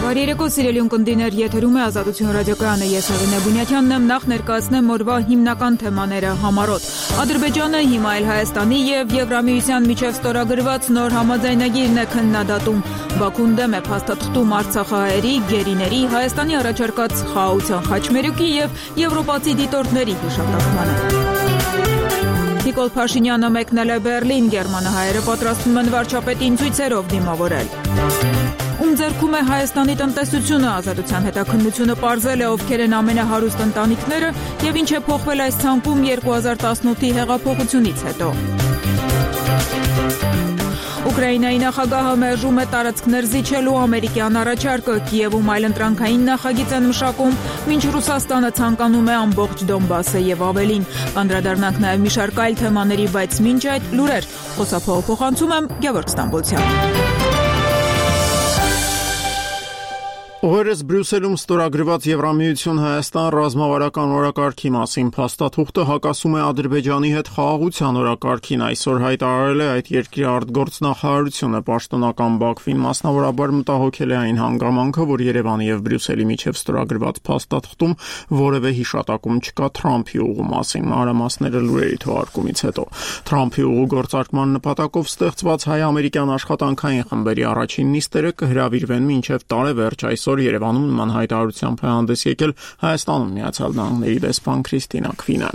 Բարերեկո սիրելի ունկնդիրներ, եթերում է Ազատություն ռադիոկայանը, ես Արինե Բունյաթյանն եմ, նախ ներկայացնեմ օրվա հիմնական թեմաները համառոտ։ Ադրբեջանը հիմա էլ Հայաստանի եւ Եվրամիության միջև ստորագրված նոր համաձայնագիրն է քննադատում։ Բաքուն դեմ է փաստաթղթում արցախահայերի, գերիների, Հայաստանի առաջարկած խաղաղության խաչմերուկի եւ եվրոպացի դիտորդների հիշատակմանը։ Նիկոլ Փաշինյանը մեկնել է Բեռլին, գերմանահայերը պատրաստվում են վարչապետին ցույցերով դիմավորել։ Ում ձեռքում է Հայաստանի տնտեսությունը, Ազատության հետաքննությունը պարզել է ովքեր են ամենահարուստ ընտանիքները եւ ինչ է փոխվել այս ցանկում 2018-ի հեղափոխությունից հետո։ Ուկրաինայի նախագահը մերժում է տարածքներ զիջելու ամերիկյան առաջարկը, Կիևում այլընտրանքային նախագիծ են մշակում, մինչ Ռուսաստանը ցանկանում է ամբողջ Դոնբասը եւ ավելին։ Կանդրադառնանք նաեւ մի շարք այլ թեմաների, բայց մինչ այդ լուրեր, խոսափողը փոխանցում եմ Գևորգ Ստամբոլցյան։ Օրերս Բրյուսելում ստորագրված Եվրամիություն-Հայաստան ռազմավարական օրակարգի մասին փաստաթուղթը հակասում է Ադրբեջանի հետ խաղաղության օրակարգին, այսօր հայտարարել է այդ երկրի արտգործնախարարությունը, պաշտոնական Բաքվին մասնավորաբար մտահոգել է այն հանգամանքը, որ Երևանի եւ Բրյուսելի միջև ստորագրված փաստաթղթում որևէ հիշատակում չկա Թրամփի ուղու մասին, մանրամասները լուրերի թողարկումից հետո։ Թրամփի ուղու գործարկման նպատակով ստեղծված հայ-ամերիկյան աշխատանքային խմբերի առաջին նիստերը կհրավիրվեն մինչև տարեվերջ, այսօր Երևանում նման հայտարարությամբ է հանդես եկել Հայաստանում Միացյալ Նահանգների դեսպան Քրիստինա Քվինը։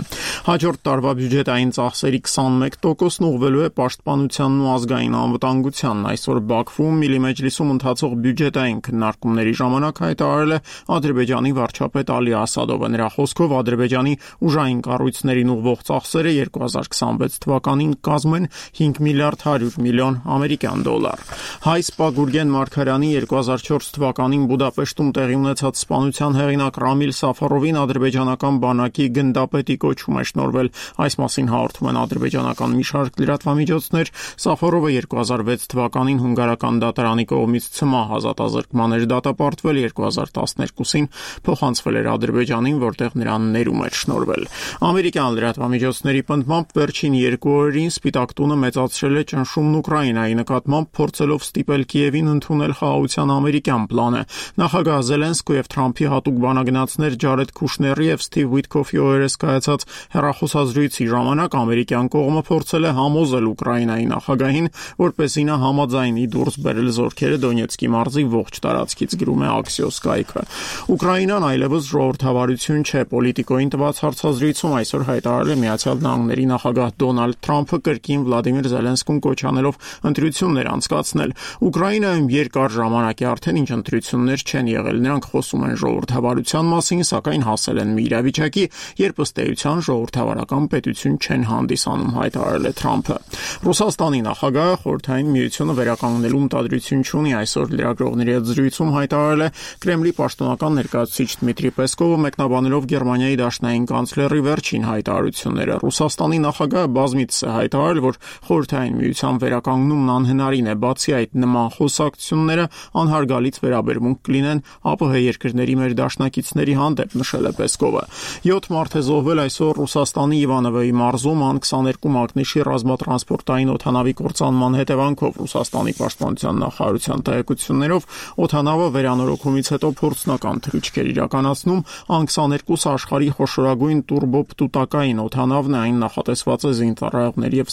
Հաջորդ տարվա բյուջետային ծախսերի 21%-ն ուղղվելու է պաշտպանությանն ու ազգային անվտանգությանն։ Այսօր Բաքվում Միլի մեջլիսում ընթացող բյուջետային քննարկումների ժամանակ հայտարարել է Ադրբեջանի վարչապետ Ալի Ասադովը։ Նրա խոսքով Ադրբեջանի ուժային կառույցներին ուղղվող ծախսերը 2026 թվականին կազմում են 5 միլիարդ 100 միլիոն ամերիկյան դոլար։ Հայ սպա Գուրգեն Մարգարյանի 2004 թվականին Բուդապեշտում տեղի ունեցած սպանության հեղինակ Ռամիլ Սաֆարովին ադրբեջանական բանակի գնդապետի կոչում է շնորհվել։ Այս մասին հաղորդում են ադրբեջանական մի շարք լրատվամիջոցներ։ Սաֆարովը 2006 թվականին հունգարական դատարանի կողմից ցմահ ազատազրկման էր դատապարտվել, 2012-ին փոխանցվել էր Ադրբեջանին, որտեղ նրան ներում էր շնորհվել։ Ամերիկյան լրատվամիջոցների պնդմամբ վերջին 2 օրերին Սպիտակ տունը մեծացրել է ճնշումն Ուկրաինայի նկատմամբ, փորձելով ստիպել Կիևին ընդունել խաղաղության ամերիկյան պլանը։ Նախագահ Զելենսկու եւ Թրամփի հատուկ բանագնացներ Ջարեդ Քուշների եւ Սթիվ Ուիթքոֆի օրերս կայացած հեռախոսազրույցի ժամանակ ամերիկյան կողմը փորձել է համոզել Ուկրաինայի նախագահին, որպեսզի նա համաձայնի դուրս բերել զորքերը Դոնեցկի մարզի ողջ տարածքից, գրում է Axios կայքը։ Ուկրաինան այլևս ժողովրդավարություն չէ, Պոլիտիկոին տված հարցազրույցում այսօր հայտարարել է Միացյալ Նահանգների նախագահ Դոնալդ Թրամփը կրկին Վլադիմիր Զելենսկուն կոչ անելով ընտրություններ անցկացնել։ Ուկրաինայում երկար ժամանակ է արդեն ինչ ընտրություններ չեն եղել, նրանք խոսում են ժողովրդավարության մասին, սակայն հասել են մի իրավիճակի, երբ ըստ էության ժողովրդավարական պետություն չեն հանդիսանում, հայտարարել է Թրամփը։ Ռուսաստանի նախագահը Խորհրդային Միությունը վերականգնելու մտադրություն չունի, այսօր լրագրողների հետ զրույցում հայտարարել է Կրեմլի պաշտոնական ներկայացուցիչ Դմիտրի Պեսկովը, մեկնաբանելով Գերմանիայի դաշնային կանցլերի վերջին հայտարարությունները։ Ռուսաստանի նախագահը բազմիցս է հայտարարել, որ Խորհրդային Միության վերականգնումն անհնարին է, բացի այդ նման խոսակցությունները անհարգալից վերաբերմունք կլինեն ԱՊՀ երկրների մեր դաշնակիցների հանդեպ, նշել է Պեսկովը։ 7 մարդ է զոհվել այսօր Ռուսաստանի Իվանովոյի մարզում Ան-22 մակնիշի ռազմատրանսպորտային օդանավի կործանման հետևանքով, Ռուսաստանի պաշտպանության նախարարության տեղեկություններով օդանավը վերանորոգումից հետո փորձնական թռիչք էր իրականացնում, Ան-22 աշխարհի խոշորագույն տուրբոպտուտակային օդանավն է, այն նախատեսված է զինծառայողների եւ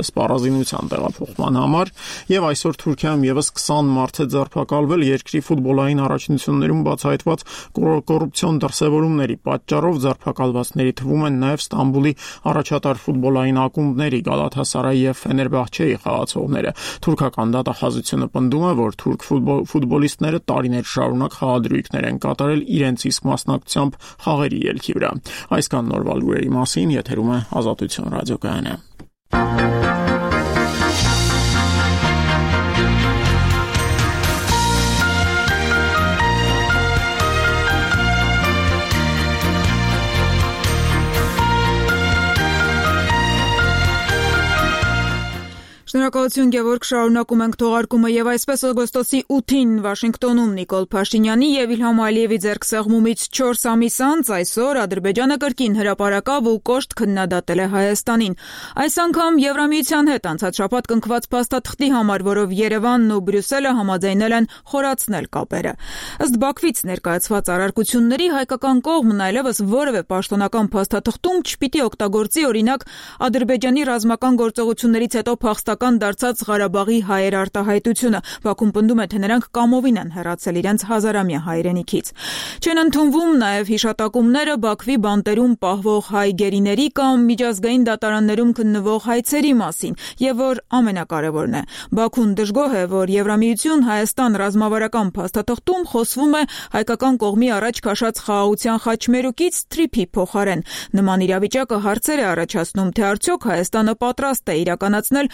սպառազինության տեղափոխման համար, եւ այսօր Թուրքիայում եւս 20 մարդ է ձերբակալվել երկրի ֆուտբոլային առաջնություններում բացահայտված կոռուպցիոն դրսևորումների պատճառով ձերբակալվածների թվում են նաև Ստամբուլի առաջատար ֆուտբոլային ակումբների Գալաթասարայի եւ Ֆեներբախչեի խաղացողները։ Թուրքական դատախազությունը պնդում է, որ թուրք ֆուտբոլիստները տարիներ շարունակ խաղադրույքներ են կատարել իրենց իսկ մասնակցությամբ խաղերի ելքի վրա։ Այսքան նորվա լուրերի մասին, եթերում է Ազատություն ռադիոկայանը։ Շնորհակալություն Գևորգ, շարունակում ենք թողարկումը եւ այսպես օգոստոսի 8-ին Վաշինգտոնում Նիկոլ Փաշինյանի եւ Իլհամ Ալիևի ձեռքսեղմումից 4 ամիս անց այսօր Ադրբեջանը կրկին հրապարակավ ու կոշտ քննադատել է Հայաստանին։ Այս անգամ Եվրամիության հետ անցած շաբաթ կնքված փաստաթղթի համար, որով Երևանն ու Բրյուսելը համաձայնել են խորացնել կապերը։ Ըստ Բաքվից ներկայացված առարկությունների հայկական կողմն այլևս որևէ պաշտոնական փաստաթղթում չպիտի օգտագործի օրինակ Ադրբեջանի ռազմական գործողություններից հետո փախստական դարձած Ղարաբաղի հայեր արտահայտությունը։ Բաքուն պնդում է, թե նրանք կամովին են հեռացել իրենց հազարամյա հայրենիքից։ Չեն ընդունվում նաև հիշատակումները Բաքվի բանտերում պահվող հայ գերիների կամ միջազգային դատարաններում քննվող հայցերի մասին, եւ որ ամենակարևորն է, Բաքուն դժգոհ է, որ Եվրամիություն-Հայաստան ռազմավարական փաստաթղթում խոսվում է հայկական կողմի առաջ քաշած խաղաղության խաչմերուկից թրիփի փոխարեն։ Նման իրավիճակը հարցեր է առաջացնում, թե արդյոք Հայաստանը պատրաստ է իրականացնել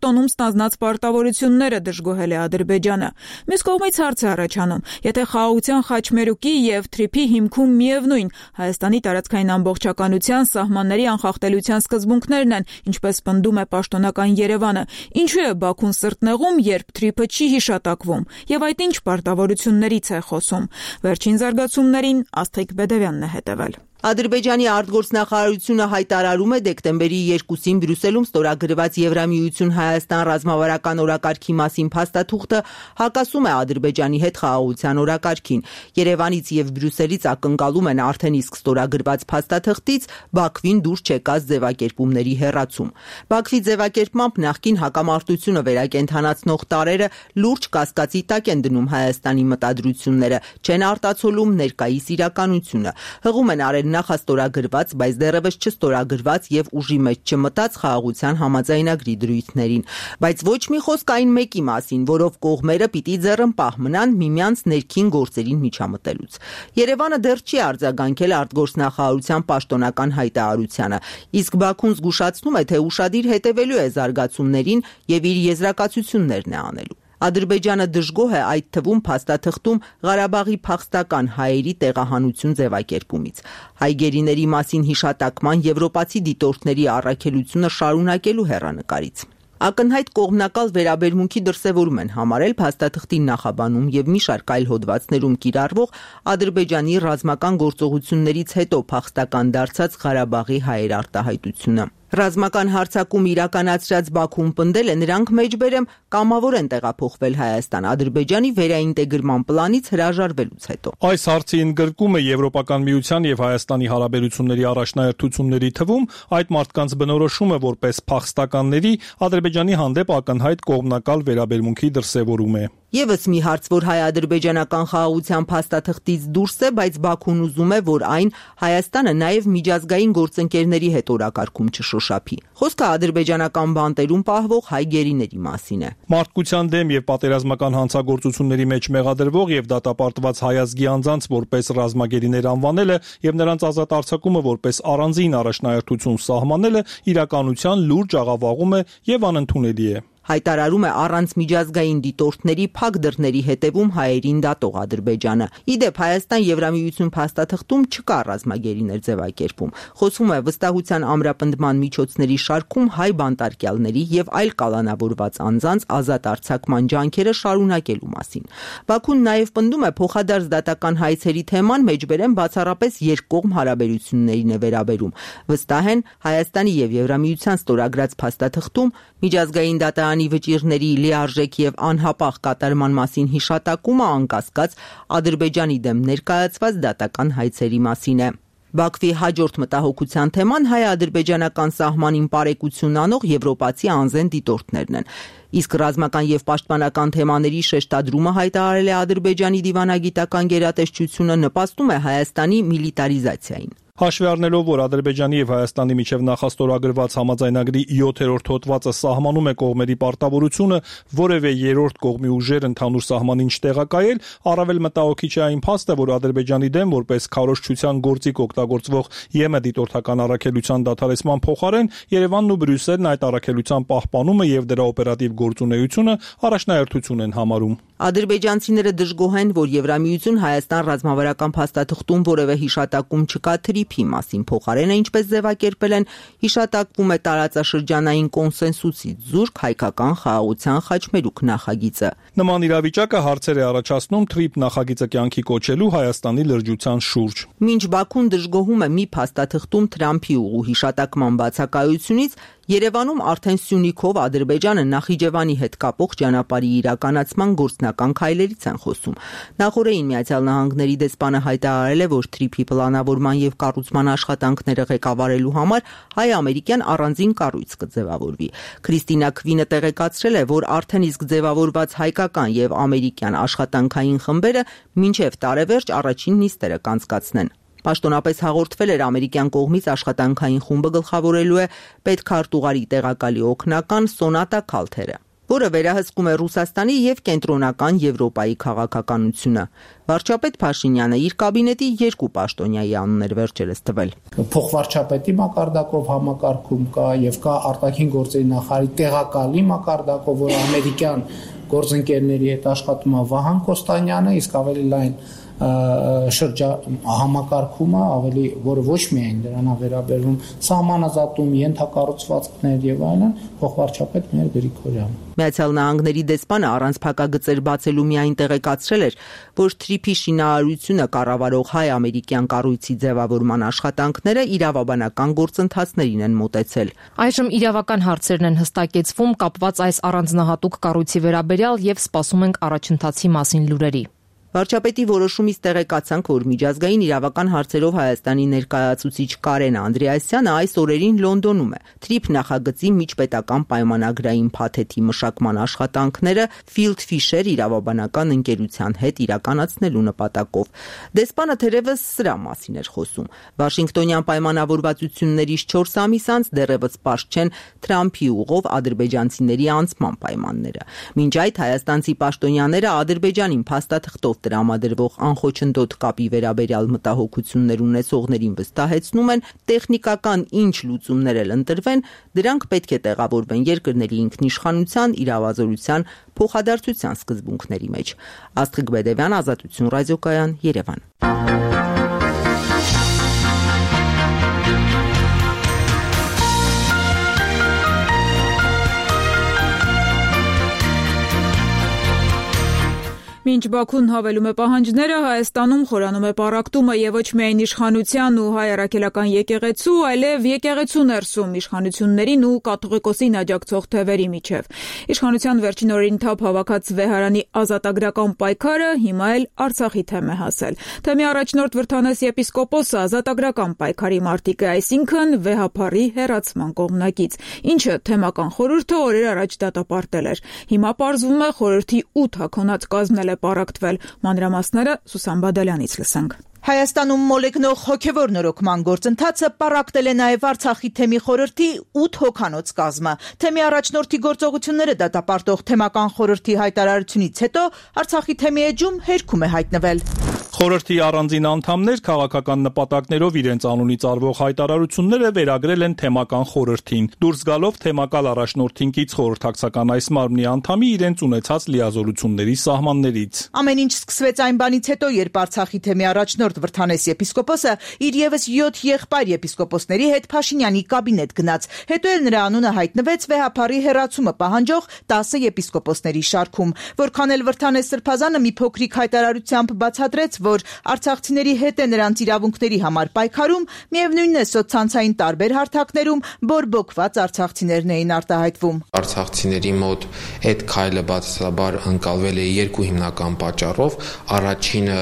Վաշինգտոնում ստանձնած պարտավորությունները, դժգոհել է Ադրբեջանը։ Մյուս կողմից հարց է առաջանում, եթե խաղաղության խաչմերուկի եւ թրիփի հիմքում միևնույն Հայաստանի տարածքային ամբողջականության սահմանների անխախտելիության սկզբունքներն են, ինչպես պնդում է պաշտոնական Երևանը, ինչու է Բաքուն սրտնեղում, երբ թրիփը չի հիշատակվում, եւ այդ ինչ պարտավորություններից է խոսում։ Վերջին զարգացումներին Աստղիկ Բեդևյանն է հետևել։ Ադրբեջանի արտգործնախարարությունը հայտարարում է դեկտեմբերի 2-ին Բրյուսելում ստորագրված Եվրամիություն-Հայաստան ռազմավարական օրակարգի մասին փաստաթուղթը հակասում է Ադրբեջանի հետ խաղաղության օրակարգին։ Երևանից եւ Բրյուսելից ակնկալում են արդեն իսկ ստորագրված փաստաթղթից Բաքվին դուրս չեկած ձևակերպումների հեռացում։ Բաքվի ձևակերպմամբ նախկին հակամարտությունը վերակենդանացնող տարրերը լուրջ կասկածի տակ են դնում Հայաստանի մտադրությունները, չեն արտացոլում ներկայիս իրականությունը։ Հղում են արել նախաստորագրված, բայց դեռևս չստորագրված եւ ուժի մեջ չմտած խաղաղության համաձայնագրի դրույթներին, բայց ոչ մի խոսք այն մեկի մասին, որով կողմերը պիտի ձեռնպահ մնան միմյանց ներքին գործերին միջամտելուց։ Երևանը դեռ չի արձագանքել արտգործնախարարության պաշտոնական հայտարարությանը, իսկ Բաքուն զգուշացնում է, թե ուշադիր հետևելու է զարգացումներին եւ իր եզրակացություններն է անելու։ Ադրբեջանը դժգոհ է այդ թվում փաստաթղթում Ղարաբաղի փախստական հայերի տեղահանություն ձևակերպումից։ Հայ գերիների մասին հիշատակման եվրոպացի դիտորդների առաքելությունը շարունակելու հեռանկարից։ Ակնհայտ կողմնակալ վերաբերմունքի դրսևորում են համարել փաստաթղթի նախաբանում եւ մի շարք այլ հոդվածներում կիրառվող Ադրբեջանի ռազմական գործողություններից հետո փախստական դարձած Ղարաբաղի հայեր արտահայտությունը։ Ռազմական հարձակում իրականացրած Բաքուն պնդել է, նրանք մեջբերեմ կամավոր են տեղափոխվել Հայաստան Ադրբեջանի վերաինտեգրման պլանից հրաժարվելուց հետո։ Այս հարցի ընդգրկումը Եվրոպական միության եւ Հայաստանի հարաբերությունների առաջնահերթությունների թվում այդ մարդկանց բնորոշումը որպես փախստականների Ադրբեջանի հանդեպ ակնհայտ կողմնակալ վերաբերմունքի դրսևորում է։ Եվս մի հարց, որ հայ-ադրբեջանական խաղաղության փաստաթղթից դուրս է, բայց Բաքուն ուզում է, որ այն Հայաստանը նաև միջազգային գործընկերների հետ օրակարգում չշոշափի։ Խոսքը ադրբեջանական բանտերում պահվող հայ գերիների մասին է։ Մարդկության դեմ եւ պատերազմական հանցագործությունների մեջ մեղադրվող եւ դատապարտված հայազգի անձանց որպես ռազմագերիներ անվանելը եւ նրանց ազատ արձակումը որպես առանձին առաջնահերթություն սահմանելը իրականության լուրջ աղավաղում է եւ անընդունելի է։ Հայտարարում է առանց միջազգային դիտորդների փակ դռների հետևում հայերին դատող Ադրբեջանը։ Իդեպ Հայաստան Եվրամիություն փաստաթղթում չկա ռազմագերիներ ձևակերպում։ Խոսվում է վստահության ամրապնդման միջոցների շարքում հայ բանտարկյալների եւ այլ կալանավորված անձանց ազատ արձակման ջանքերը շարունակելու մասին։ Բաքուն նաեւ պնդում է փոխադարձ դատական հայցերի թեման մեջբերեն բացառապես երկկողմ հարաբերություններին է վերաբերում։ Վստահ են Հայաստանի եւ Եվրամիության ստորագրած փաստաթղթում միջազգային դատարանի վճիռների լիարժեք եւ անհապաղ կատարման մասին հիշատակումը անկասկած Ադրբեջանի դեմ ներկայացված դատական հայցերի մասին է։ Բաքվի հաջորդ մտահոգության թեման հայ-ադրբեջանական սահմանին պարեկություն անող եվրոպացի անզեն դիտորդներն են։ Իսկ ռազմական եւ պաշտպանական թեմաների շեշտադրումը հայտարարել է Ադրբեջանի դիվանագիտական գերատեսչությունը նպաստում է Հայաստանի միլիտարիզացիային։ Հաշվի առնելով, որ Ադրբեջանի եւ Հայաստանի միջև նախաստորագրված համաձայնագրի 7-րդ հոդվածը սահմանում է կողմերի պարտավորությունը որևէ երրորդ կողմի ուժեր ընդհանուր սահմանին չտեղակայել, առավել մտահոգիչ է այն փաստը, որ Ադրբեջանի դեմ որպես քարոզչության գործիք օգտագործվող ԵՄ դիտորդական առաքելության դադարեցման փոխարեն Երևանն ու Բրյուսելն այդ առաքելության պահպանումը եւ դրա օպերատիվ գործունեությունը առաջնահերթություն են համարում։ Ադրբեջանցիները դժգոհ են, որ Եվրամիություն Հայաստան ռազմավարական փաստաթղթում որևէ հիշատակում չկա թրիփի մասին, փոխարենը ինչպես ձևակերպել են, հիշատակվում է տարածաշրջանային կոնսենսուսից զուրկ հայկական խաղաղության խաչմերուկ նախագիծը։ Նման իրավիճակը հարցեր է առաջացնում թրիփ նախագիծը կյանքի կոչելու Հայաստանի լրջության շուրջ։ Մինչ Բաքուն դժգոհում է մի փաստաթղթում Թրամփի ուղու հիշատակման բացակայությունից, Երևանում արդեն Սյունիքով Ադրբեջանը Նախիջևանի հետ կապող ճանապարհի իրականացման գործնական քայլերից են խոսում։ Նախորդին Միացյալ Նահանգների դեսպանը հայտարարել է, որ թրիփի պլանավորման եւ կառուցման աշխատանքները ղեկավարելու համար հայ-ամերիկյան առանձին կառույց կձևավորվի։ Քրիստինա Քվինը տեղեկացրել է, որ արդեն իսկ ձևավորված հայկական եւ ամերիկյան աշխատանքային խմբերը մինչեւ տարեվերջ առաջին նիստերը կանցկացնեն։ Պաշտոնապես հաղորդվել էր ամերիկյան կողմից աշխատանքային խումբը գլխավորելու է պետքարտուղարի տեղակալի օգնական Սոնատա Քալթերը, որը վերահսկում է Ռուսաստանի եւ կենտրոնական Եվրոպայի քաղաքականությունը։ Վարչապետ Փաշինյանը իր կաբինետի 2 պաշտոնյայի անուններ վերջերս տվել։ Փոխվարչապետի մակարդակով համակարգում կա եւ կա արտաքին գործերի նախարարի տեղակալի մակարդակով, որ ամերիկյան գործընկերների հետ աշխատում է Վահան Կոստանյանը, իսկ ավելի լայն համակարգումը ավելի, որը ոչ միայն դրան է վերաբերվում սահմանազատում, ենթակառուցվածքներ եւ այլն, փոխվարչապետ մեր Գրիգորյանը։ Միացյալ Նահանգների դեսպանը առանց փակագծեր բացելու միայն տեղեկացրել էր, որ թրիփի շինարարությունը կառավարող հայ-ամերիկյան կառույցի ձևավորման աշխատանքները իրավաբանական գործընթացներին են մոտեցել։ Այժմ իրավական հարցերն են հստակեցվում կապված այս առանձնահատուկ կառույցի վերաբերյալ եւ սպասում ենք առաջընթացի մասին լուրերի։ Վարչապետի որոշումից տեղեկացանք, որ միջազգային իրավական հարցերով Հայաստանի ներկայացուցիչ Կարեն Անդրեասյանը այս օրերին Լոնդոնում է։ Թրիփ նախագծի միջպետական պայմանագրային փաթեթի մշակման աշխատանքները Field Fisher իրավաբանական ընկերության հետ իրականացնելու նպատակով։ Դեսպանը թերևս սրա մասին էր խոսում։ Վաշինգտոնյան պայմանավորվածություններից 4 ամիս անց դեռևս պարզ չեն Թրամփի ուղով ադրբեջանցիների անցման պայմանները։ Մինչ այդ հայաստանցի պաշտոնյաները Ադրբեջանին փաստաթղթով տրամադրվող անխոչնդոտ կապի վերաբերյալ մտահոգություններ ունեցողներին վստահեցնում են, տեխնիկական ինչ լուծումներ էլ ընտրվեն, դրանք պետք է տեղավորվեն երկրների ինքնիշխանության, իրավազորության, փոխադարձության սկզբունքների մեջ։ Աստղիկ Բեդևյան, Ազատություն ռադիոկայան, Երևան։ Մինչ Բաքուն հավելում է պահանջները, Հայաստանում խորանում է պառակտումը եւ ոչ միայն իշխանության ու հայ առաքելական եկեղեցու, այլև եկեղեցու ներսում իշխանություններին ու կաթողիկոսին աջակցող թևերի միջև։ Իշխանության վերջին օրերին թափ հավաքած Վեհարանի ազատագրական պայքարը հիմա էլ Արցախի թեմ է հասել։ Թեմի առաջնորդ Վրդանես եպիսկոպոսը ազատագրական պայքարի մարտիկ է, այսինքն վեհափառի հեռացման կողմնակից, ինչը թեմական խորհուրդը օրեր առաջ դատապարտել էր։ Հիմա պարզվում է խորհրդի 8 հագոնած կազմն է պառակտվել։ Մանրամասները Սուսան Բադալյանից լսենք։ Հայաստանում մոլեգնող հոգևոր նորոգման գործընթացը պառակտել է նաև Արցախի թեմի խորհրդի 8 հոգանոց կազմը։ Թեմի առաջնորդի գործողությունները դատապարտող թեմական խորհրդի հայտարարությունից հետո Արցախի թեմի էջում հերքում է հայտնվել։ Խորհրդի առանձին անդամներ քաղաքական նպատակներով իրենց անունից արվող հայտարարությունները վերագրել են թեմական խորհրդին։ Դուրս գալով թեմակալ առաջնորդին կից խորհրդակցական այս մարմնի անդամի իրենց ունեցած լիազորությունների սահմաններից։ Ամեն ինչ սկսվեց այն բանից հետո, երբ Արցախի թեմի առաջնորդ Վրդանես եպիսկոպոսը իր եւս 7 եղբայր եպիսկոպոսների հետ Փաշինյանի կաբինետ գնաց։ Հետո էլ նրա անունը հայտնվեց վեհափառի հեռացումը պահանջող 10 եպիսկոպոսների շարքում։ Որքան էլ Վրդանես Սրբազանը մի փոքրիկ հայտարարությամբ բացատրեց, որ արցախցիների հետ է նրանց իրավունքների համար պայքարում, միևնույնն է սոցցանցային տարբեր հարթակներում բորբոքված արցախցիներն էին արտահայտվում։ Արցախցիների մոտ այդ քայլը բացասաբար ընկալվել է 2 հիմնական պատճառով։ Առաջինը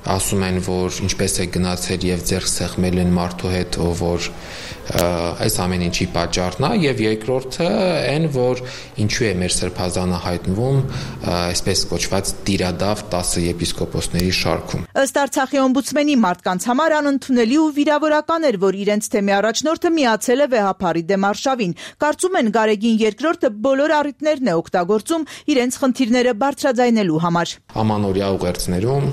ասում են, որ ինչպես է գնացել եւ ձեռք սեղմել են մարդու հետ, որ այս ամեն ինչի պատճառն է, եւ երկրորդը այն, որ ինչու է մեր սրբազանը հայտնվում այսպես կոչված տիրադավ 10 եպիսկոպոսների շարքում։ Ըստ Արցախի օմբուդսմենի մարդկանց համար անընդունելի ու վիրավորական էր, որ իրենց թեմի առաջնորդը միացել է վեհափառի դեմ արշավին։ Կարծում են Գարեգին երկրորդը բոլոր առիթներն է օգտագործում իրենց խնդիրները բարձրաձայնելու համար։ Ամանորյա ուղերձներում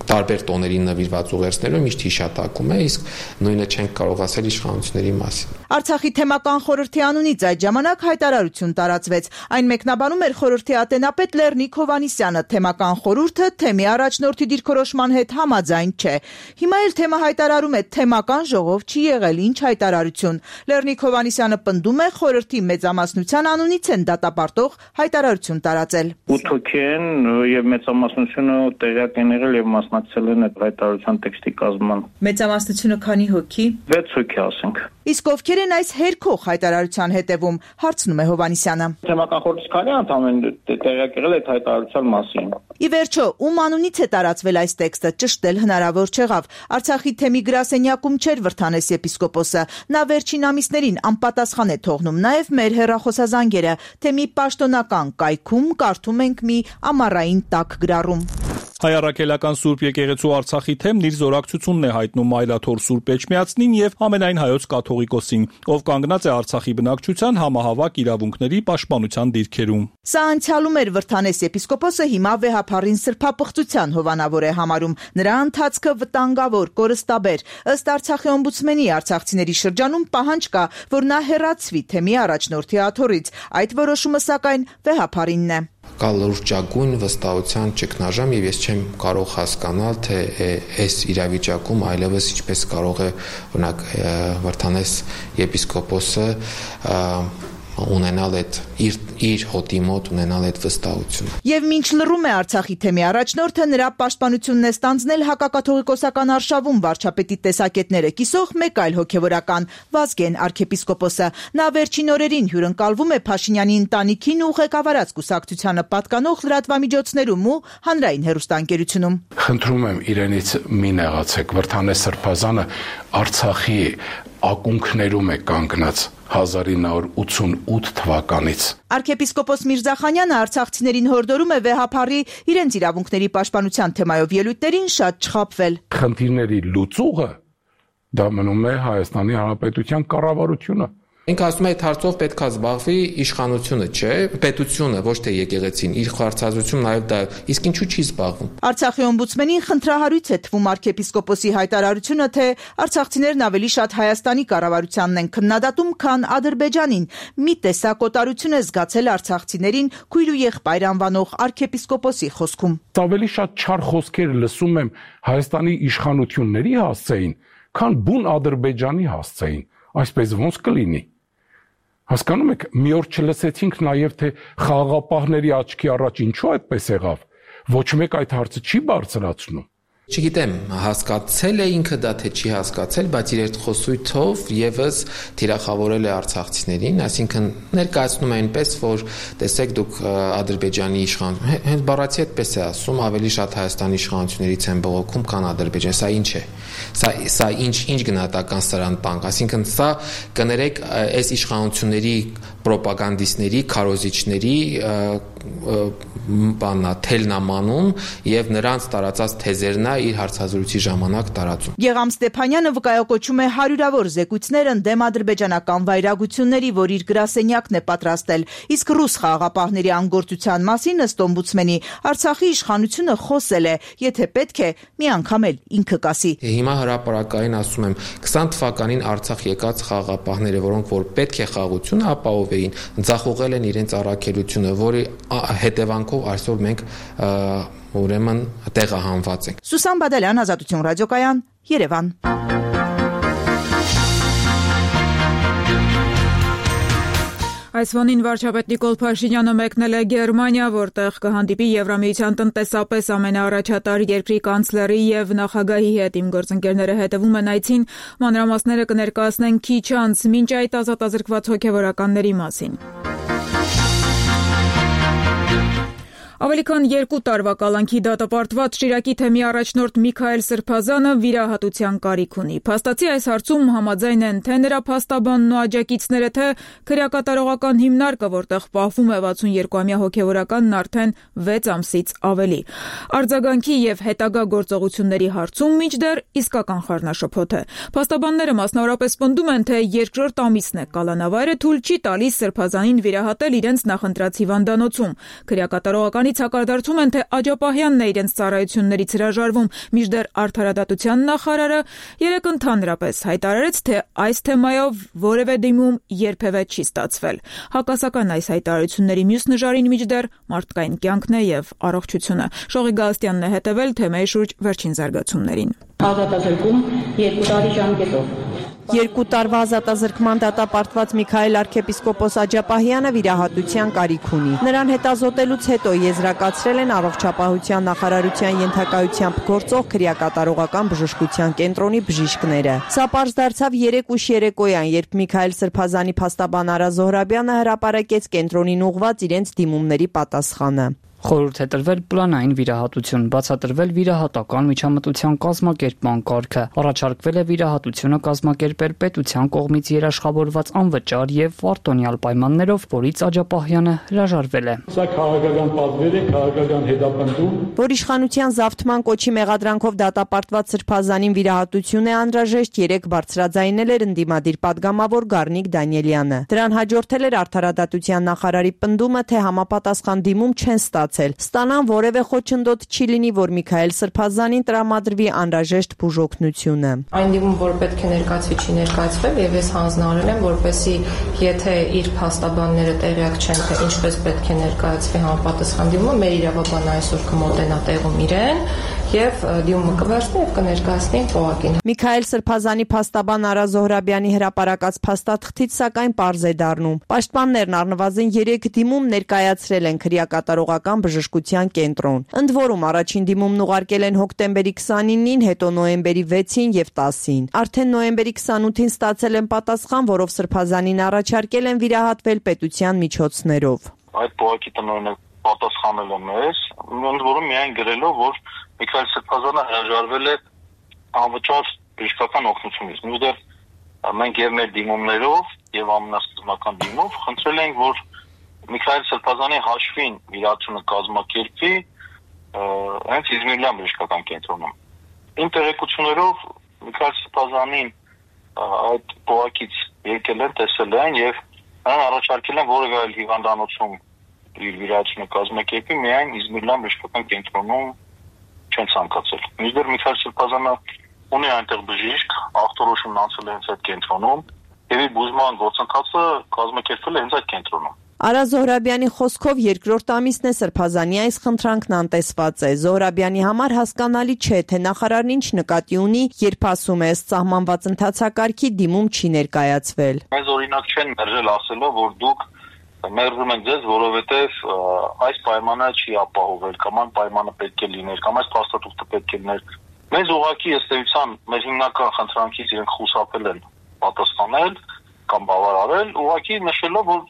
տարբեր տոների նվիրված ուղերձներում միշտ հիշատակում է, իսկ նույնը չենք կարող ասել իշխանությունների մասին։ Արցախի թեմական խորհրդի անունից այդ ժամանակ հայտարարություն տարածվեց։ Այն մեկնաբանում էր խորհրդի ատենապետ Լեռնիկ Հովհաննիսյանը։ Թեմական խորհուրդը թեմի առաջնորդի դիրքորոշման հետ համաձայն չէ։ Հիմա էլ թեմը հայտարարում է թեմական ժողով չի եղել, ինչ հայտարարություն։ Լեռնիկ Հովհաննիսյանը պնդում է խորհրդի մեծամասնության անունից են դատապարտող հայտարարություն տարածել։ 8 հոգի են եւ մեծամասնությունը տեղյակ են եղել եւ մասնակցել են այդ հայտարարության տեքստի կազմման։ Մեծամասնությունը քանի հոգի։ 6 հոգի ասենք։ Իսկ ովքեր են այս հերքող հայտարարության հետևում, հարցնում է Հովհաննիսյանը։ Թեմական խորհրդի քանի անդամ են տեղյակ եղել այդ հայտարարության մասին։ Ի վերջո, ում անունից է տարածվել այս տեքստը, ճշտել հնարավոր չեղավ։ Արցախի թեմի գրասենյակում չէր Վրդանես եպիսկոպոսը։ Նա վերջին ամիսներին անպատասխան է թողնում նաև մեր հեռախոսազանգերը։ Թեմի պաշտոնական կայքում կարդում ենք մի ամառային տաք գրառում։ Հայ առաքելական Սուրբ եկեղեցու Արցախի թեմն իր զորակցությունն է հայտնում Այլաթոր Սուրբ Էջմիածնին եւ ամենայն հայոց կաթողիկոսին, ով կանգնած է Արցախի բնակչության համահավաք իրավունքների պաշտպանության դիրքերում։ Սա անցյալում էր Վրդանես եպիսկոպոսը, հիմա վեհափառին սրբապղծության հովանավոր է համարում։ Նրա ընթացքը վտանգավոր, կորստաբեր։ Ըստ Արցախի օմբուդսմենի արցախցիների շրջանում պահանջ կա, որ նա հեռացվի թեմի առաջնորդի աթոռից։ Այդ որոշումը սակայն վեհափառինն է։ Կա լրջագույն վստահության ճգնաժամ եւ ես չեմ կարող հասկանալ, թե այս իրավիճակում այլևս ինչպես կարող է օրինակ Վրդանես եպիսկոպոսը ունենալ այդ իր հոտի մոտ ունենալ այդ վստահությունը։ Եվ մինչ լռում է Արցախի թեմի առաջնորդը, նրա պաշտպանությունն է ստանձնել հակակաթողիկոսական արշավում վարչապետի տեսակետները կիսող մեկ այլ հոգևորական՝ Վազգեն arczepiskopos-ը։ Նա վերջին օրերին հյուրընկալվում է Փաշինյանի ընտանիքին ու ղեկավարած կուսակցությանը պատկանող լրատվամիջոցներում ու հանրային հեռուստաընկերությունում։ Խնդրում եմ իրենից մի նեղացեք, Վրդանես Սրբազանը Արցախի ակունքներում է կանգնած 1988 թվականից։ Arczepiskopos Միրզախանյանը արցախցիներին հորդորում է վեհափառի իրենց իրավունքների պաշտպանության թեմայով ելույթներին շատ չխաբվել։ Խնդիրների լուծուղը դա մնում է Հայաստանի Հանրապետության կառավարությունը։ Ինքը ասում է, այդ հարցով պետք է զբաղվի իշխանությունը, չէ, պետությունը, ոչ թե եկեղեցին, իր խորհրդածությունն նաև դա, իսկ ինչու չի զբաղվում։ Արցախի օմբուդսմենին խնդրահարույց է թվում arczepiskopos-ի հայտարարությունը, թե արցախցիներն ավելի շատ Հայաստանի կառավարությանն են քննադատում, քան Ադրբեջանին։ Մի տեսակոտարություն է զգացել արցախցիներին քույր ու եղբայր անվանող arczepiskopos-ի խոսքում։ Ավելի շատ չար խոսքեր լսում եմ Հայաստանի իշխանությունների հասցեին, քան բուն Ադրբեջանի հասցեին։ Այսպես ոնց կլինի։ Հասկանում եք, մի օր չլսեցինք նաև, թե խաղաղապահների աչքի առաջ ինչու այդպես եղավ։ Ոչ մեկ այդ հարցը չի բարձրացնում։ Չգիտեմ, հասկացել է ինքը դա թե չի հասկացել, բայց իր այդ խոսույթով եւս թիրախավորել է արցախցիներին, այսինքն ներկայացնում է այնպես, որ տեսեք դուք Ադրբեջանի իշխանություն, հենց բառացի այդպես է ասում, ավելի շատ Հայաստանի իշխանություններից են բողոքում, քան Ադրբեջան, սա ինչ է։ Սա ինչ գնահատական սրան տանք, այսինքն սա կներեք այս իշխանությունների պրոպագանդիստների, քարոզիչների թելնամանում եւ նրանց տարածած թեզերն է իր հարցազրույցի ժամանակ տարածում։ Գեգամ Ստեփանյանը վկայակոչում է հարյուրավոր զեկույցներ ընդդեմ ադրբեջանական վայրագությունների, որ իր գրասենյակն է պատրաստել, իսկ ռուս խաղաղապահների անգործության մասին ըստ օմբուդսմենի Արցախի իշխանությունը խոսել է, եթե պետք է, մի անգամ էլ ինքը կասի։ Հիմա հրապարակային ասում եմ 20 թվականին Արցախ եկած խաղաղապահները, որոնք որ պետք է խաղաղությունը ապահովեին, ձախողել են իրենց առաքելությունը, որի հետևանքով այսօր մենք ուրեմն տեղահանված ենք։ Սուսան Բադալյան, Ազատություն ռադիոկայան, Երևան։ Այս ֆոնին վարչապետ Նիկոլ Փաշինյանը մեկնել է Գերմանիա, որտեղ կհանդիպի Եվրամիության տնտեսապես ամենաառաջատար երկրի կանցլերի եւ նախագահի հետ։ Իմ գործընկերները հետևում են այցին, մանրամասները կներկայացնեն քիչ անց, մինչ այդ ազատազրկված հոգեվորականների մասին։ Ավելի քան 2 տարվա կալանքի դատապարտված Շիրակի թեմի առաջնորդ Միքայել Սրբազանը վիրահատության կարիք ունի։ Փաստացի այս հարցում համաձայն են թե նրա փաստաբանն ու աջակիցները, թե քրեակատարողական հիմնարկը, որտեղ պահվում է 62-ամյա հոգեվորականն արդեն 6 ամսից ավելի։ Արձագանքի եւ հետագա գործողությունների հարցում մինչդեռ իսկական խառնաշփոթ է։ Փաստաբանները մասնավորապես պնդում են, թե երկրորդ ամիսն է կալանավայրը թույլ չի տալիս Սրբազանին վիրահատել իրենց նախընտրած հիվանդանոցում։ Քրեակատարողական Դրանից հակադարձում են, թե Աջապահյանն է իրենց ծառայություններից հրաժարվում, մինչդեռ Արդարադատության նախարարը երեկ ընդհանրապես հայտարարեց, թե այս թեմայով որևէ դիմում երբևէ չի ստացվել։ Հակասական այս հայտարարությունների մյուս նժարին մինչդեռ մարդկային կյանքն է եւ առողջությունը։ Շողի Գալստյանն է հետևել թեմայի շուրջ վերջին զարգացումներին։ Ազատազրկում 2 տարի ժամկետով։ 2 տարվա ազատազրկման դատապարտված Միքայել arczepiskopos Աջապահյանը վիրահատության կարիք ունի։ Նրան հետազոտելուց հետո եզրակացրել են առողջապահության նախարարության ենթակայությամբ գործող քրեակատարողական բժշկության կենտրոնի բժիշկները։ Սա պարզ դարձավ 3 ուշ երեկոյան, երբ Միքայել Սրբազանի փաստաբան Արա Զոհրաբյանը հրապարակեց կենտրոնին ուղղված իրենց դիմումների պատասխանը։ Խորհուրդ է տրվել պլանային վիրահատություն, բացատրվել վիրահատական միջամտության կազմակերպման կարգը, առաջարկվել է վիրահատությունը կազմակերպել պետության կողմից երաշխավորված անվճար եւ պարտոնյալ պայմաններով, որից Աջապահյանը հրաժարվել է։ Սա քաղաքական պատվեր է, քաղաքական հետապնդում, որ իշխանության զավթման կոչի մեղադրանքով դատապարտված Սրբազանին վիրահատություն է անհրաժեշտ, 3 բարձրաձայնել էր ընդդիմադիր падգամավոր Գառնիկ Դանիելյանը։ Դրան հաջորդել էր Արդարադատության նախարարի պնդումը, թե համապատասխան դիմում չեն ստանան որևէ խոչընդոտ չի լինի, որ Միքայել Սրբազանին տրամադրվի անհրաժեշտ բուժօգնությունը։ Այն դիմում, որ պետք է ներկայացվի, չի ներկայացվել եւ ես հանձնարարել եմ, որպեսզի եթե իր փաստաբանները տեղյակ չեն, թե ինչպես պետք է ներկայացվի համապատասխան դիմումը, մեր իրավաբանը այսօր կմոտենա տեղում իրեն եւ դիմումը կվերցնի եւ կներկայացնի ՊՕԱԿ-ին։ Միքայել Սրբազանի փաստաբան Արա Զոհրաբյանի հրապարակած փաստաթղթից սակայն պարզ է դառնում։ Պաշտպաններն առնվազն 3 դիմում ներկայացրել են քրեակատարողական բժշկության կենտրոն։ Ընդ որում առաջին դիմումն ուղարկել են հոկտեմբերի 29-ին, հետո նոյեմբերի 6-ին եւ 10-ին։ Արդեն նոյեմբերի 28-ին ստացել են պատասխան, որով Սրբազանին առաջարկել են վիրահատվել պետության միջոցներով։ Այդ ՊՕԱԿ-ի տնօրենը պատասխանել է մեզ, ընդ որում միայն գրելով, որ Միքայել Սրբազանը հրաժարվել է անվճար բժշկական օգնությունից։ Մինչդեռ մենք եւ մեր դիմումներով եւ ամենասկզբնական դիմով խնդրել ենք, որ Միքայել Սրբազանի հաշվին վիրահատությունը կազմակերպվի հենց Իզմիրլյան բժշկական կենտրոնում։ Իմ տեղեկություններով Միքայել Սրբազանին այդ ՊՕԱԿ-ից եկել են, տեսել են եւ նրան առաջարկել են որևէ այլ հիվանդանոցում իր վիրահատությունը կազմակերպի, միայն Իզմիրլյան բժշկական կենտրոնում չեն ցանկացել։ Մինչդեռ Միքայել Սրբազանը ունի այնտեղ բժիշկ, ախտորոշումն անցել է հենց այդ կենտրոնում եւ իր բուժման գործընթացը կազմակերպվել է հենց այդ կենտրոնում։ Արա Զոհրաբյանի խոսքով երկրորդ ամիսն է Սրբազանի այս խնդրանքն անտեսված է։ Զոհրաբյանի համար հասկանալի չէ, թե նախարարն ինչ նկատի ունի, երբ ասում է, ըստ սահմանված ընթացակարգի դիմում չի ներկայացվել։ Մեզ օրինակ չեն մերժել ասելով, որ դուք մերժում եք ձեզ, որովհետև այս պայմանը չի ապահովել, կամ այն պայմանը պետք է լիներ, կամ այս փաստաթուղթը պետք է լիներ։ Մեզ ուղղակի ըստ էության մեր հիմնական խնդրանքից իրենք խուսափել են պատասխանել կամ բավարարել, ուղղակի նշելով, որ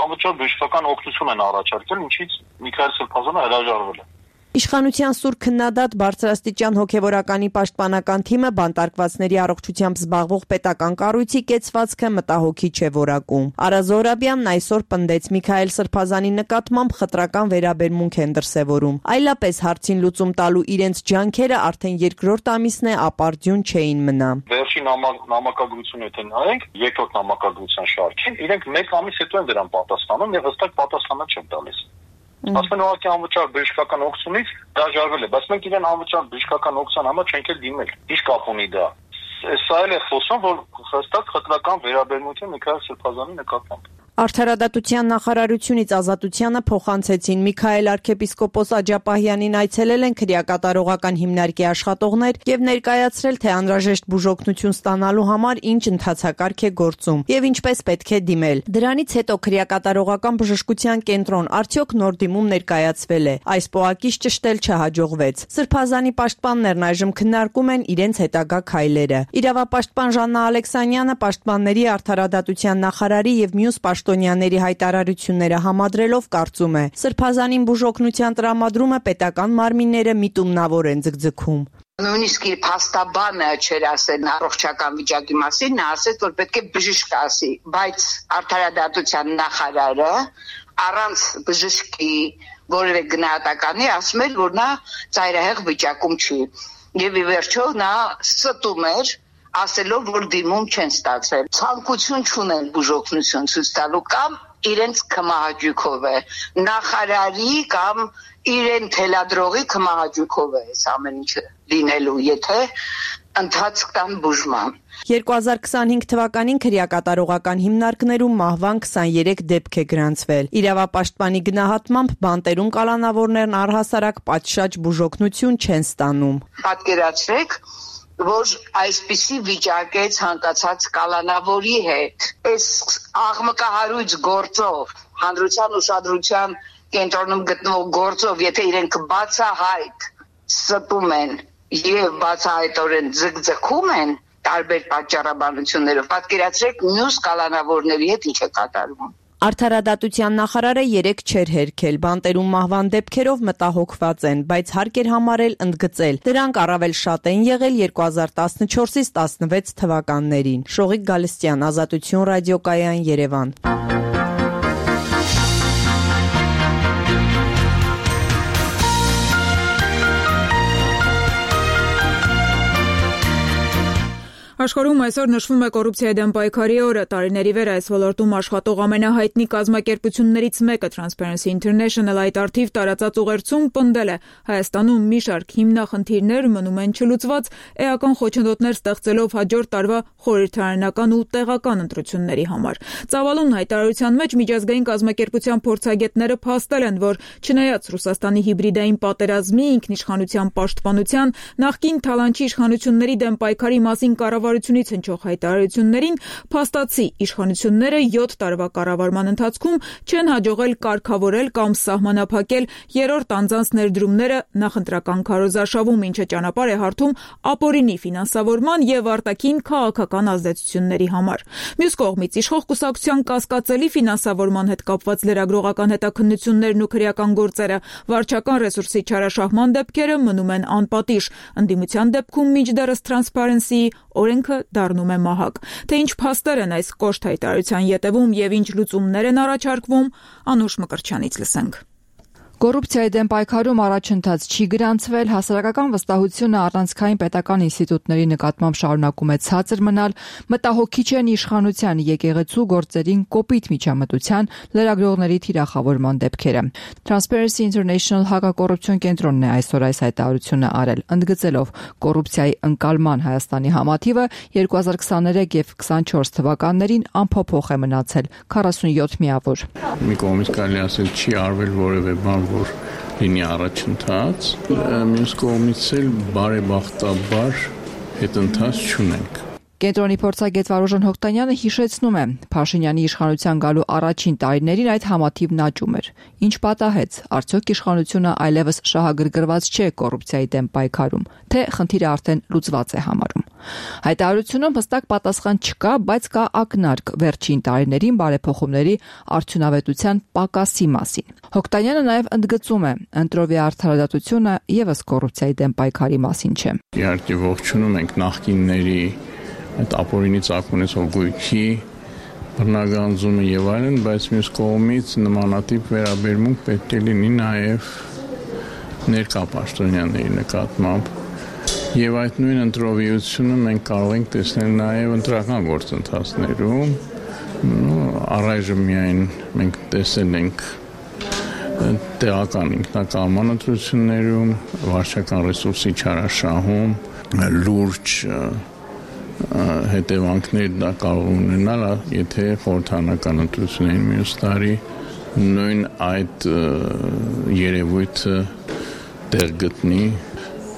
անվճար բժշկական օգնություն են առաջարկել, ինչից Միքայել Սրբազանը հրաժարվել է։ Իշխանության սուր քննադատ բարձրաստիճան հոգևորականի պաշտպանական թիմը բանտարկվածների առողջությամբ զբաղվող պետական կառույցի կեցվածքը մտահոգի չէ որակում։ Արա Զոհրաբյանն այսօր պնդեց Միքայել Սրբազանի նկատմամբ խտրական վերաբերմունք են դրսևորում։ Այլապես հարցին լուծում տալու իրենց ջանքերը արդեն երկրորդ ամիսն է ապարդյուն չէին մնա։ Վերջին նամակագրություն եթե նայենք, երկրորդ նամակագրության շարքին, իրենք 1 ամիս հետո են դրան պատասխանում եւ հստակ պատասխանը չեն տալիս։ Ասում են ուղղակի անվճար բժշկական օգնությունից հրաժարվել է, բայց մենք իրեն անվճար բժշկական օգնության համար չենք էլ դիմել։ Ինչ կապ ունի դա։ Սա էլ է խոսում, որ հստակ խտրական վերաբերմունք է Միքայել Սրբազանի նկատմամբ։ Արդարադատության նախարարությունից Ազատությանը փոխանցեցին Միքայել arczepiskopos Աջապահյանին այցելել են քրեակատարողական հիմնարկի աշխատողներ եւ ներկայացրել, թե անհրաժեշտ բուժօգնություն ստանալու համար ինչ ընթացակարգ է գործում եւ ինչպես պետք է դիմել։ Դրանից հետո քրեակատարողական բժշկության կենտրոն արդյոք նոր դիմում ներկայացվել է։ Այս ՊՕԱԿ-ից ճշտել չհաջողվեց։ Սրբազանի պաշտպաններն այժմ քննարկում են իրենց հետագա քայլերը։ Իրավապաշտպան Ժաննա Ալեքսանյանը պաշտպանների արդարադատության նախարարի եւ մյուս պաշտոնյաների հայտարարությունները համադրելով կարծում է, Սրբազանին բուժօգնության տրամադրումը պետական մարմինները միտումնավոր են ձգձգում։ Նույնիսկ իր փաստաբանը չէր ասել առողջական վիճակի մասին, նա ասեց, որ պետք է բժիշկ ասի, բայց արդարադատության նախարարը առանց բժշկի որևէ գնահատականի ասում էր, որ նա ծայրահեղ վիճակում չի։ Եվ ի վերջո նա ստում էր ասելով, որ դիմում չեն ստացել։ Ցանկություն չունեն բուժօգնություն ցույց տալու կամ իրենց քմահաճույքով է, նախարարի կամ իրեն թելադրողի քմահաճույքով է այս ամեն ինչը լինելու, եթե ընթացք տան բուժման։ 2025 թվականին քրեակատարողական հիմնարկներում մահվան 23 դեպք է գրանցվել։ Իրավապաշտպանի գնահատմամբ բանտերուն կալանավորներն առհասարակ պատշաճ բուժօգնություն չեն ստանում։ Պատկերացրեք, որ այսպիսի վիճակ է ցանկացած կալանավորի հետ։ Այս աղմկահարույց գործով, հանրության ուշադրության կենտրոնում գտնվող գործով, եթե իրենք բացահայտ ստում են եւ բացահայտորեն ձգձգում են տարբեր պատճառաբանություններով, պատկերացրեք մյուս կալանավորների հետ ինչ է կատարվում։ Արդարադատության նախարարը 3 չէր հերքել, բանտերում մահվան դեպքերով մտահոգված են, բայց հարկ էր համարել ընդգծել։ Դրանք առավել շատ են եղել 2014-ից 16 թվականներին։ Շողիկ Գալստյան, Ազատություն ռադիոկայան, Երևան։ Աշխարհում այսօր նշվում է կոռուպցիայի դեմ պայքարի օրը։ Տարիների վեր այս ոլորտում աշխատող ամենահայտնի կազմակերպություններից մեկը Transparency International այդ արդիվ տարածած ուղերձում պնդել է Հայաստանում մի շարք հիմնախնդիրներ մնում են չլուծված, էական խոչընդոտներ ստեղծելով հաջորդ տարվա խորհրդարանական ու տեղական ընտրությունների համար։ Ծավալուն հայտարարության մեջ միջազգային կազմակերպության փորձագետները փաստել են, որ չնայած Ռուսաստանի հիբրիդային պատերազմի, ինքնիշխանության պաշտպանության, նախկին թալանչի իշխանությունների դեմ պայքարի մասին կառավարությունից հնչող հայտարարություններին, փաստացի իշխանությունները 7 տարվա կառավարման ընթացքում չեն հաջողել կարգավորել կամ սահմանափակել երրորդ անձանց ներդրումները նախընտրական քարոզարշավում, ինչը ճանապարհ է հարթում ապօրինի ֆինանսավորման եւ արտաքին քաղաքական ազդեցությունների համար։ Մյուս կողմից իշխող կուսակցության կասկածելի ֆինանսավորման հետ կապված լրագրողական հետաքննություններն ու քրեական գործերը, վարչական ռեսուրսի չարաշահման դեպքերը մնում են անպատիժ։ Ընդդիմության դեպքում մինչդեռս Transparency օրենքը դառնում է մահակ։ Թե ինչ փաստեր են այս կոշտ հայտարարության ետևում եւ ինչ լուծումներ են առաջարկվում, Անուշ Մկրտչյանից լսենք։ Կոռուպցիայի դեմ պայքարում առաջընթաց չի գրանցվել, հասարակական վստահությունը առանցքային պետական ինստիտուտների նկատմամբ շարունակում է ցածր մնալ, մտահոգիչ են իշխանության եկեղեցու գործերին կոպիտ միջամտության, լրագրողների թիրախավորման դեպքերը։ Transparency International հակակոռուպցիոն կենտրոնն է այսօր այս հայտարարությունը արել, ընդգծելով կոռուպցիայի ընկալման Հայաստանի համաթիվը 2023 եւ 24 թվականներին անփոփոխ է մնացել 47 միավոր։ Մի կողմից կարելի ասել չի արվել որևէ բան, որ լինի առաջընթաց, մյուս կողմից էլ բարեբախտաբար հետընթաց չունենք։ Կենտրոնի փորձագետ Վարուժան Հոկտանյանը հիշեցնում է, Փաշինյանի իշխանության գալու առաջին տարիներին այդ համաթիվն աճում էր։ Ինչ պատահեց, արդյոք իշխանությունը այլևս շահագրգռված չէ կոռուպցիայի դեմ պայքարում, թե խնդիրը արդեն լուծված է համարում։ Հայտարարությունում հստակ պատասխան չկա, բայց կա ակնարկ վերջին տարիներին բարեփոխումների արդյունավետության պակասի մասին։ Հոկտանյանը նաև ընդգծում է, ընտրովի արդարադատությունը եւս կոռուպցիայի դեմ պայքարի մասին չէ։ Իհարկե ողջունում ենք նախկինների այդ ապօրինի ծագումից գույքի բռնագանձումը եւ այլն, բայց մյուս կողմից նմանատիպ վերաբերմունք պետք է լինի նաեւ ներկա պաշտոնյաների նկատմամբ եւ այդ նույն ընտրովիությունը մենք կարող ենք տեսնել նաեւ ընտրական գործընթացներում, առայժմ միայն մենք տեսել ենք տեղական ինքնակալման ընտրություններում, վարչական ռեսուրսի չարաշահում, լուրջ հետևանքներ դա կարող ունենալ, եթե խորհրդարանական ընտրություններին մյուս տարի նույն այդ երևույթը տեղ գտնի։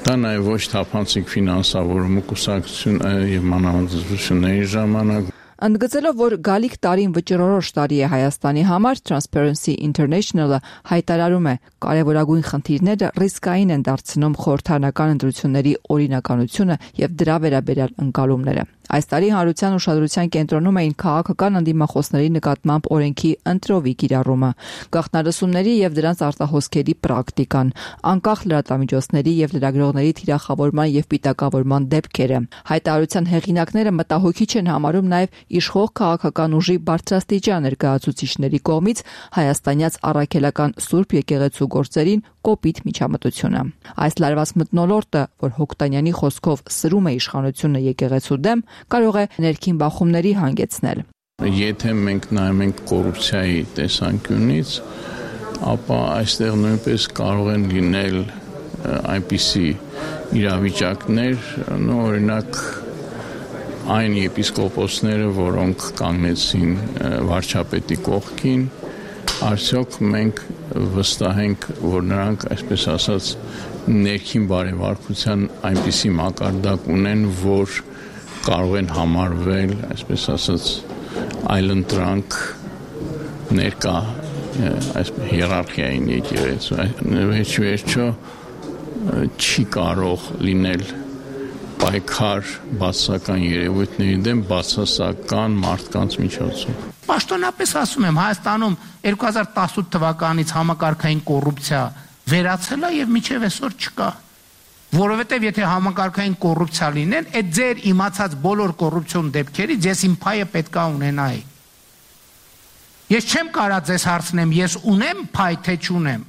Դա նաև ոչ թափանցիկ ֆինանսավորումը կուսակցություն եւ մանավանդ ժամանակ։ Ընդգծելով, որ գալիք տարին վճռորոշ տարի է Հայաստանի համար, Transparency International-ը հայտարարում է, կարևորագույն խնդիրները ռիսկային են դարձնում խորհրդարանական ընտրությունների օրինականությունը եւ դրա վերաբերյալ ընկալումները։ Այս տարի հանրության ուշադրության կենտրոնում էին քաղաքական ընդդիմախոսների նկատմամբ օրենքի ընտրովի կիրառումը, գաղտնալսումների եւ դրանց արտահոսքերի պրակտիկան, անկախ լրատվամիջոցների եւ լրագրողների թիրախավորման եւ պիտակավորման դեպքերը։ Հայտարարության հեղինակները մտահոգիչ են համարում նաեւ իշխող քաղաքական ուժի բարձրաստիճան ներկայացուցիչների կողմից հայաստանյաց առաքելական Սուրբ եկեղեցու գործերին կոպիտ միջամտությունը։ Այս լարված մթնոլորտը, որ Հոկտանյանի խոսքով սրում է իշխանությունը եկեղեցու դեմ, կարող է ներքին բախումների հանգեցնել։ Եթե մենք նայում ենք կոռուպցիայի տեսանկյունից, ապա այստեղ նույնպես կարող են լինել այնպիսի իրավիճակներ, օրինակ այն եպիսկոպոսները, որոնք կանգնեցին վարչապետի կողքին, արդյոք մենք վստահ ենք, որ նրանք, այսպես ասած, ներքին բարևարկության այնպիսի մակարդակ ունեն, որ կարող են համարվել, այսպես ասած, այլընտրանք ներկա հիերարխիային եկեղեցու, վերջո չի կարող լինել պայքար բացասական երևույթների դեմ բացասական մարդկանց միջոցով։ Պաշտոնապես ասում եմ, Հայաստանում 2018 թվականից համակարգային կոռուպցիա վերացել է եւ մինչեւ այսօր չկա։ Որովհետեւ եթե համակարգային կոռուպցիա լինեն, այդ ձեր իմացած բոլոր կոռուպցիոն դեպքերից ես իմ փայը պետքա ունենայի։ Ես չեմ կարա ձեզ հարցնեմ, ես ունեմ փայ թե չունեմ,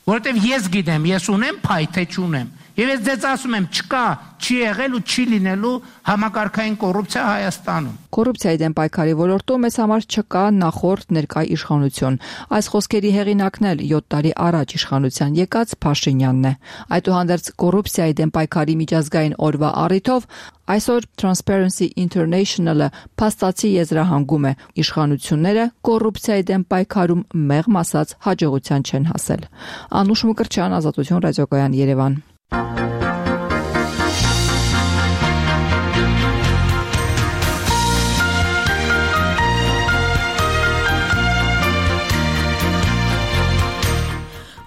որովհետեւ ես գիտեմ, ես ունեմ փայ թե չունեմ։ Եվ ես ձեզ ասում եմ, չկա, չի եղել ու չի լինելու համակարգային կոռուպցիա Հայաստանում։ Կոռուպցիայի դեմ պայքարի ոլորտում մեզ համար չկա նախորդ ներկա իշխանություն։ Այս խոսքերի հեղինակն էլ 7 տարի առաջ իշխանության եկած Փաշինյանն է։ Այդուհանդերձ կոռուպցիայի դեմ պայքարի միջազգային օրվա առիթով այսօր Transparency International-ը փաստացի եզրահանգում է իշխանությունները կոռուպցիայի դեմ պայքարում մեղմ ասած հաջողության չեն հասել։ Անուշ Մկրտչյան, Ազատություն ռադիոկայան, Երևան։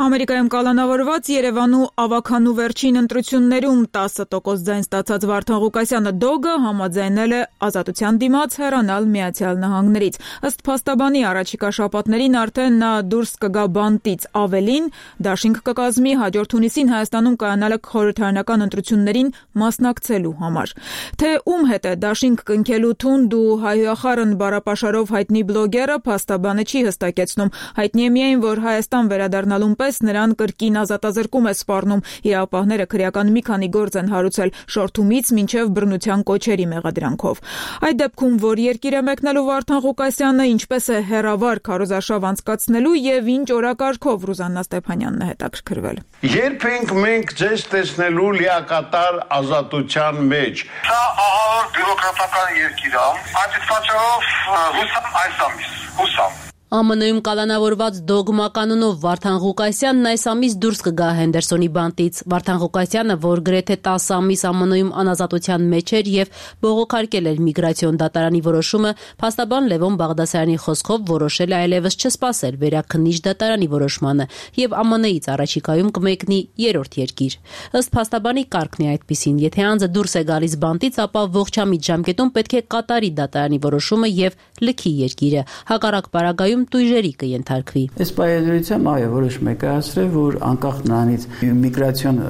Ամերիկայում կալանավորված Երևանու ավագանու վերջին ընտրություններում 10% ձայն ստացած Վարդան Ղուկասյանը Դոգը համաձայնել է ազատության դիմաց հեռանալ Միացյալ Նահանգներից։ Ըստ փաստաբանի առաջիկա շաբաթներին արդեն նա դուրս կգա բանտից, ավելին դաշինք կկազմի հաջորդ հունիսին Հայաստանում կայանալը խորհրդարանական ընտրություններին մասնակցելու համար։ Թե ում հետ է դաշինք կնքելու թունդ ու հայհոյախառն բառապաշարով հայտնի բլոգերը փաստաբանը չի հստակեցնում։ Հայտնի է միայն, որ Հայաստան վերադառնալուն պես նրան կրկին ազատազրկում է սպառնում։ Իրավապահները քրեական մի քանի գործ են հարուցել շորթումից մինչև բռնության կոչերի մեղադրանքով։ Այդ դեպքում, որ երկիր է մեկնելու Վարդան Ղուկասյանը, ինչպես է հերավար քարոզարշավ անցկացնելու եւ ինչ օրակարգով Ռուզաննա Ստեփանյանն է հետաքրքրվել։ Երբ ենք մենք ձեզ տեսնելու լիակատար ազատության մեջ։ Սա ահավոր բյուրոկրատական երկիր է։ Այդ պատճառով հուսամ այս ամիս, հուսամ։ ԱՄՆ-ում կալանավորված Դոգմա կանոնով Վարդան Ղուկասյանն այս ամիս դուրս կգա Հենդերսոնի բանտից։ Վարդան Ղուկասյանը, որ գրեթե 10 ամիս ԱՄՆ-ում անազատության մեջ էր եւ բողոքարկել էր միգրացիոն դատարանի որոշումը, փաստաբան Լևոն Բաղդասարյանի խոսքով որոշել է այլևս չսպասել վերաքննիչ դատարանի որոշմանը եւ ԱՄՆ-ից առաջիկայում կմեկնի երրորդ երկիր։ Ըստ փաստաբանի կարգն է այդպիսին, եթե անձը դուրս է գալիս բանտից, ապա ողջամիտ ժամկետում պետք է կատարի դատարանի որոշումը եւ լքի երկիրը։ Հակառակ պարագայում տույժերի կենթարկվի։ Այս պայմանությամբ այո, որոշում է կայացրել, որ անկախ նրանից միգրացիոն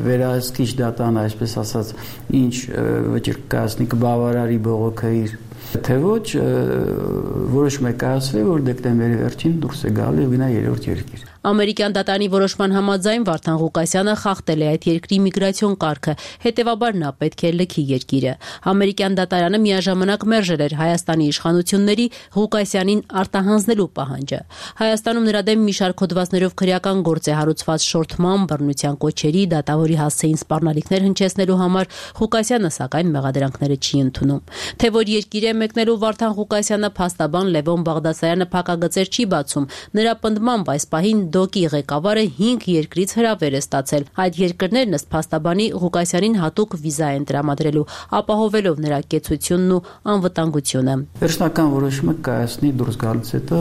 վերահսկիչ դատան, այսպես ասած, ինչ վճիռ կայացնի կբավարարի բողոքը իր, թե ոչ, որոշում է կայացրել, որ դեկտեմբերի վերջին դուրս է գալու եւ գնա երրորդ երկիր։ Ամերիկյան դատարանի որոշման համաձայն Վարդան Ղուկասյանը խախտել է այդ երկրի միգրացիոն կարգը, հետևաբար նա պետք է լքի երկիրը։ Ամերիկյան դատարանը միաժամանակ մերժել էր Հայաստանի իշխանությունների Ղուկասյանին արտահանձնելու պահանջը։ Հայաստանում նրա դեմ մի շարք հոդվածներով քրեական գործ է հարուցված շորթման, բռնության կոչերի, դատավորի հասցեին սպառնալիքներ հնչեցնելու համար, Ղուկասյանը սակայն մեղադրանքները չի ընդունում։ Թե որ երկիր է մեկնելու Վարդան Ղուկասյանը, փաստաբան Լևոն Բաղդասարյանը փակագծեր չի բացում։ Նրա պնդմամբ այս պահին Դոգի ղեկավարը 5 երկրից հրավեր է ստացել։ Այդ երկրներն ըստ փաստաբանի Ղուկասյանին հատուկ վիզա են տրամադրելու, ապահովելով նրա կեցությունն ու անվտանգությունը։ Վերջնական որոշումը կայացնի դուրս գալուց հետո,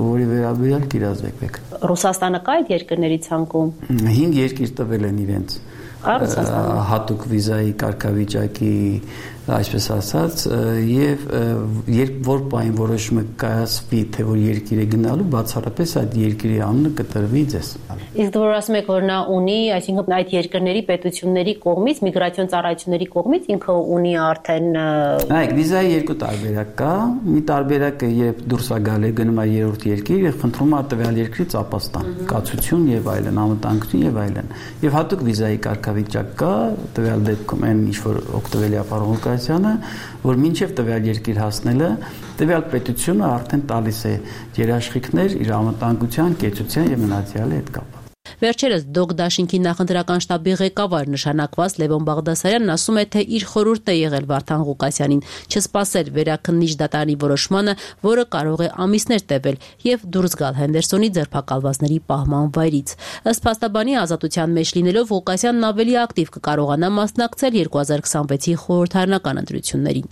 որի վերաբերյալ կիրազեկվեք։ Ռուսաստանը կա այդ երկրների ցանկում։ 5 երկիր տվել են իրենց հատուկ վիզայի կարգավիճակի, այսպես ասած, եւ որ պայն որոշումը կայացվի, թե որ երկիրը գնալու, բացառապես այդ երկրի անունը կտրվի ձեզ։ Իսկ որ ասում եք, որ նա ունի, այսինքն այդ երկրների պետությունների կողմից, միգրացիոն ծառայությունների կողմից ինքը ունի արդեն Այո, վիզայի երկու տարբերակ կա։ Մի տարբերակը երբ դուրս է գալու գնում է երրորդ երկիր եւ խնդրում է տվյալ երկրից ապաստան, կացություն եւ այլն, անվտանգություն եւ այլն։ Եվ հատուկ վիզայի կարգավիճակ կա, տվյալ դեպքում այն ինչ որ օգտվել է ապահովում Ղուկասյանը, որ մինչև տվյալ երկիր հասնելը տվյալ պետությունը արդեն տալիս է երաշխիքներ իր անվտանգության, կեցության եւ մնացյալի հետ կապ։ Վերջերս Դոկ Դաշինքի նախընտրական շտաբի ղեկավար նշանակված Լևոն Բաղդասարյանն ասում է, թե իր խորհուրդն է եղել Վարդան Ղուկասյանին չսպասել վերաքննիչ դատարանի որոշմանը, որը կարող է ամիսներ տևել եւ դուրս գալ Հենդերսոնի ձերբակալվածների պահման վայրից։ Ըստ փաստաբանի ազատության մեջ լինելով Ղուկասյանն ավելի ակտիվ կկարողանա մասնակցել 2026-ի խորհրդարանական ընտրություններին։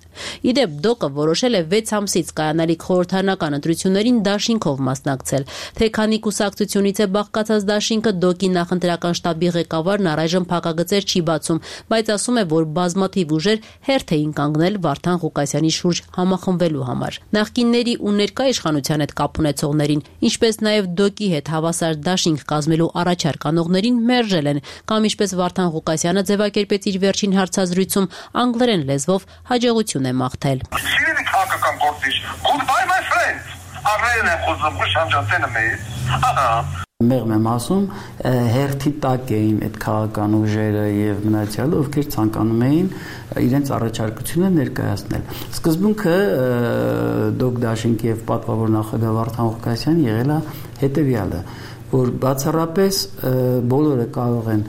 Իդեպ Դոկը որոշել է 6 ամսից կայանալիք խորհրդարանական ընտրություններին դաշինքով մասնակցել, թե քանի կուսակցությունից է բաղկացած դաշինքը Դոկի նախընտրական շտաբի ղեկավարն առայժմ փակագծեր չի բացում, բայց ասում է, որ բազմաթիվ ուժեր հերթ էին կանգնել Վարդան Ղուկասյանի շուրջ համախմբվելու համար։ Նախկինների ու ներկա իշխանության հետ կապ ունեցողներին, ինչպես նաև Դոկի հետ հավասար դաշինք կազմելու առաջարկ անողներին մերժել են, կամ ինչպես Վարդան Ղուկասյանը ձևակերպեց իր վերջին հարցազրույցում, անգլերեն լեզվով հաջողություն է մաղթել։ Մեղմ եմ ասում, հերթի տակ էին այդ քաղաքական ուժերը եւ մնացյալը, ովքեր ցանկանում էին իրենց առաջարկությունը ներկայացնել։ Սկզբունքը Դոկ Դաշինքի եւ պատվավոր նախագահ Վարդան Ղուկասյանը եղել է հետեւյալը, որ բացառապես բոլորը կարող են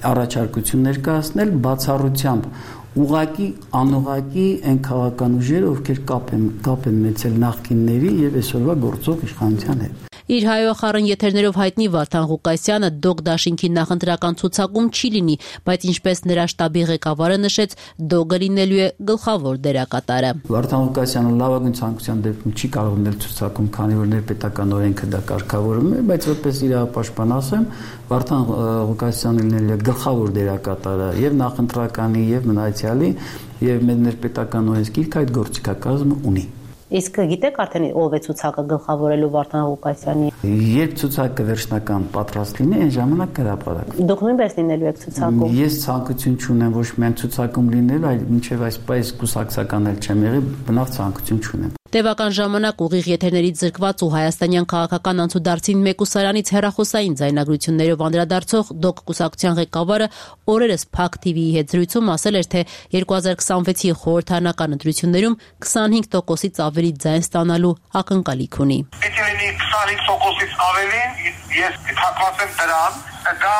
առաջարկություն ներկայացնել բացառությամբ ուղղակի անուղղակի այն քաղաքական ուժերը, ովքեր կապ են ունեցել նախկինների եւ այսօրվա գործող իշխանության հետ։ Իր հայոախառն եթերներով հայտնի Վարդան Ղուկասյանը Դոկ Դաշինքի նախընտրական ցուցակում չի լինի, բայց ինչպես նրա շտաբի ղեկավարը նշեց, Դոկը լինելու է գլխավոր դերակատարը։ Վարդան Ղուկասյանը լավագույն ցանկության դեպքում չի կարող լինել ցուցակում, քանի որ ներպետական օրենքը դա կարգավորում է, բայց որպես իրավապաշտպան ասեմ, Վարդան Ղուկասյանը լինելու է գլխավոր դերակատարը եւ նախընտրականի եւ մնացյալի եւ մեր ներպետական օրենսգիրքը այդ գործիքակազմը ունի։ Իսկ գիտեք արդեն ով է ցուցակը գլխավորելու Վարդան Ղուկասյանի։ Երբ ցուցակը վերջնական պատրաստ լինի, այն ժամանակ կհրապարակվի։ Դուք նույնպես լինելու եք ցուցակում։ Ես ցանկություն չունեմ ոչ միայն ցուցակում լինել, այլ մինչև այսպես կուսակցական էլ չեմ եղել, բնավ ցանկություն չունեմ։ Տևական ժամանակ ուղիղ եթերներից զրկված ու հայաստանյան քաղաքական անցուդարձին մեկուսարանից հեռախոսային ձայնագրություններով անդրադարձող Դոկ կուսակցության ղեկավարը օրերս Փակ TV-ի հետ զրույցում ասել էր, թե 2026-ի խորհրդարանական ընտրություններում 25%-ից ավելի ձայն ստանալու ակնկալիք ունի։ Պետք է լինի 25%-ից ավելին, ես թակված եմ դրան, դա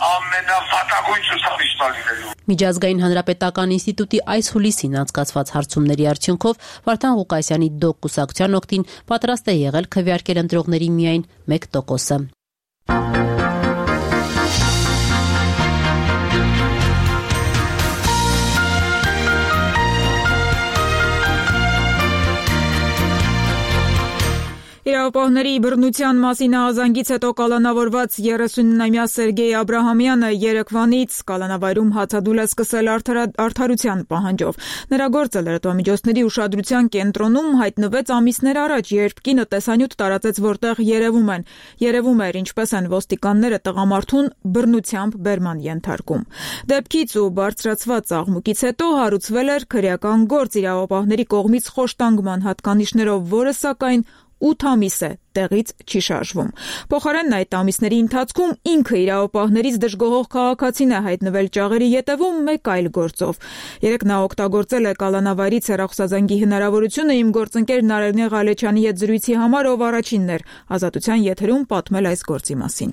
ամենավատագույն ցուցակիչն է լինելու։ Միջազգային հանրապետական ինստիտուտի այս հուլիսին անցկացված հարցումների արդյունքով Վարդան Ղուկասյանի Դոկ կուսակցության օգտին պատրաստ է եղել քվեարկել ընտրողների միայն 1%-ը։ Իրավապահների բռնության մասին ահազանգից հետո կալանավորված 39-ամյա Սերգեյ Աբրահամյանը երեկվանից կալանավայրում հացադուլ է սկսել արդարության պահանջով։ Նրա գործը լրատվամիջոցների ուշադրության կենտրոնում հայտնվեց ամիսներ առաջ, երբ կինը տեսանյութ տարածեց, որտեղ երևում էր ինչպես են ոստիկանները տղամարդուն բռնությամբ բերման ենթարկում։ Դեպքից ու բարձրացված աղմուկից հետո հարուցվել էր քրեական գործ իրավապահների կողմից խոշտանգման հատկանիշներով, որը սակայն 8 ամիս է տեղից չի շարժվում։ Փոխարենն այդ ամիսների ընթացքում ինքը իրավապահներից դժգոհող քաղաքացին է հայտնվել ճաղերի ետևում մեկ այլ գործով։ Երեկ նա օգտագործել է կալանավայրից հեռախոսազանգի հնարավորությունը իմ գործընկեր Նարինե Ղալեչյանի հետ զրույցի համար, ով առաջինն էր ազատության եթերում պատմել այս գործի մասին։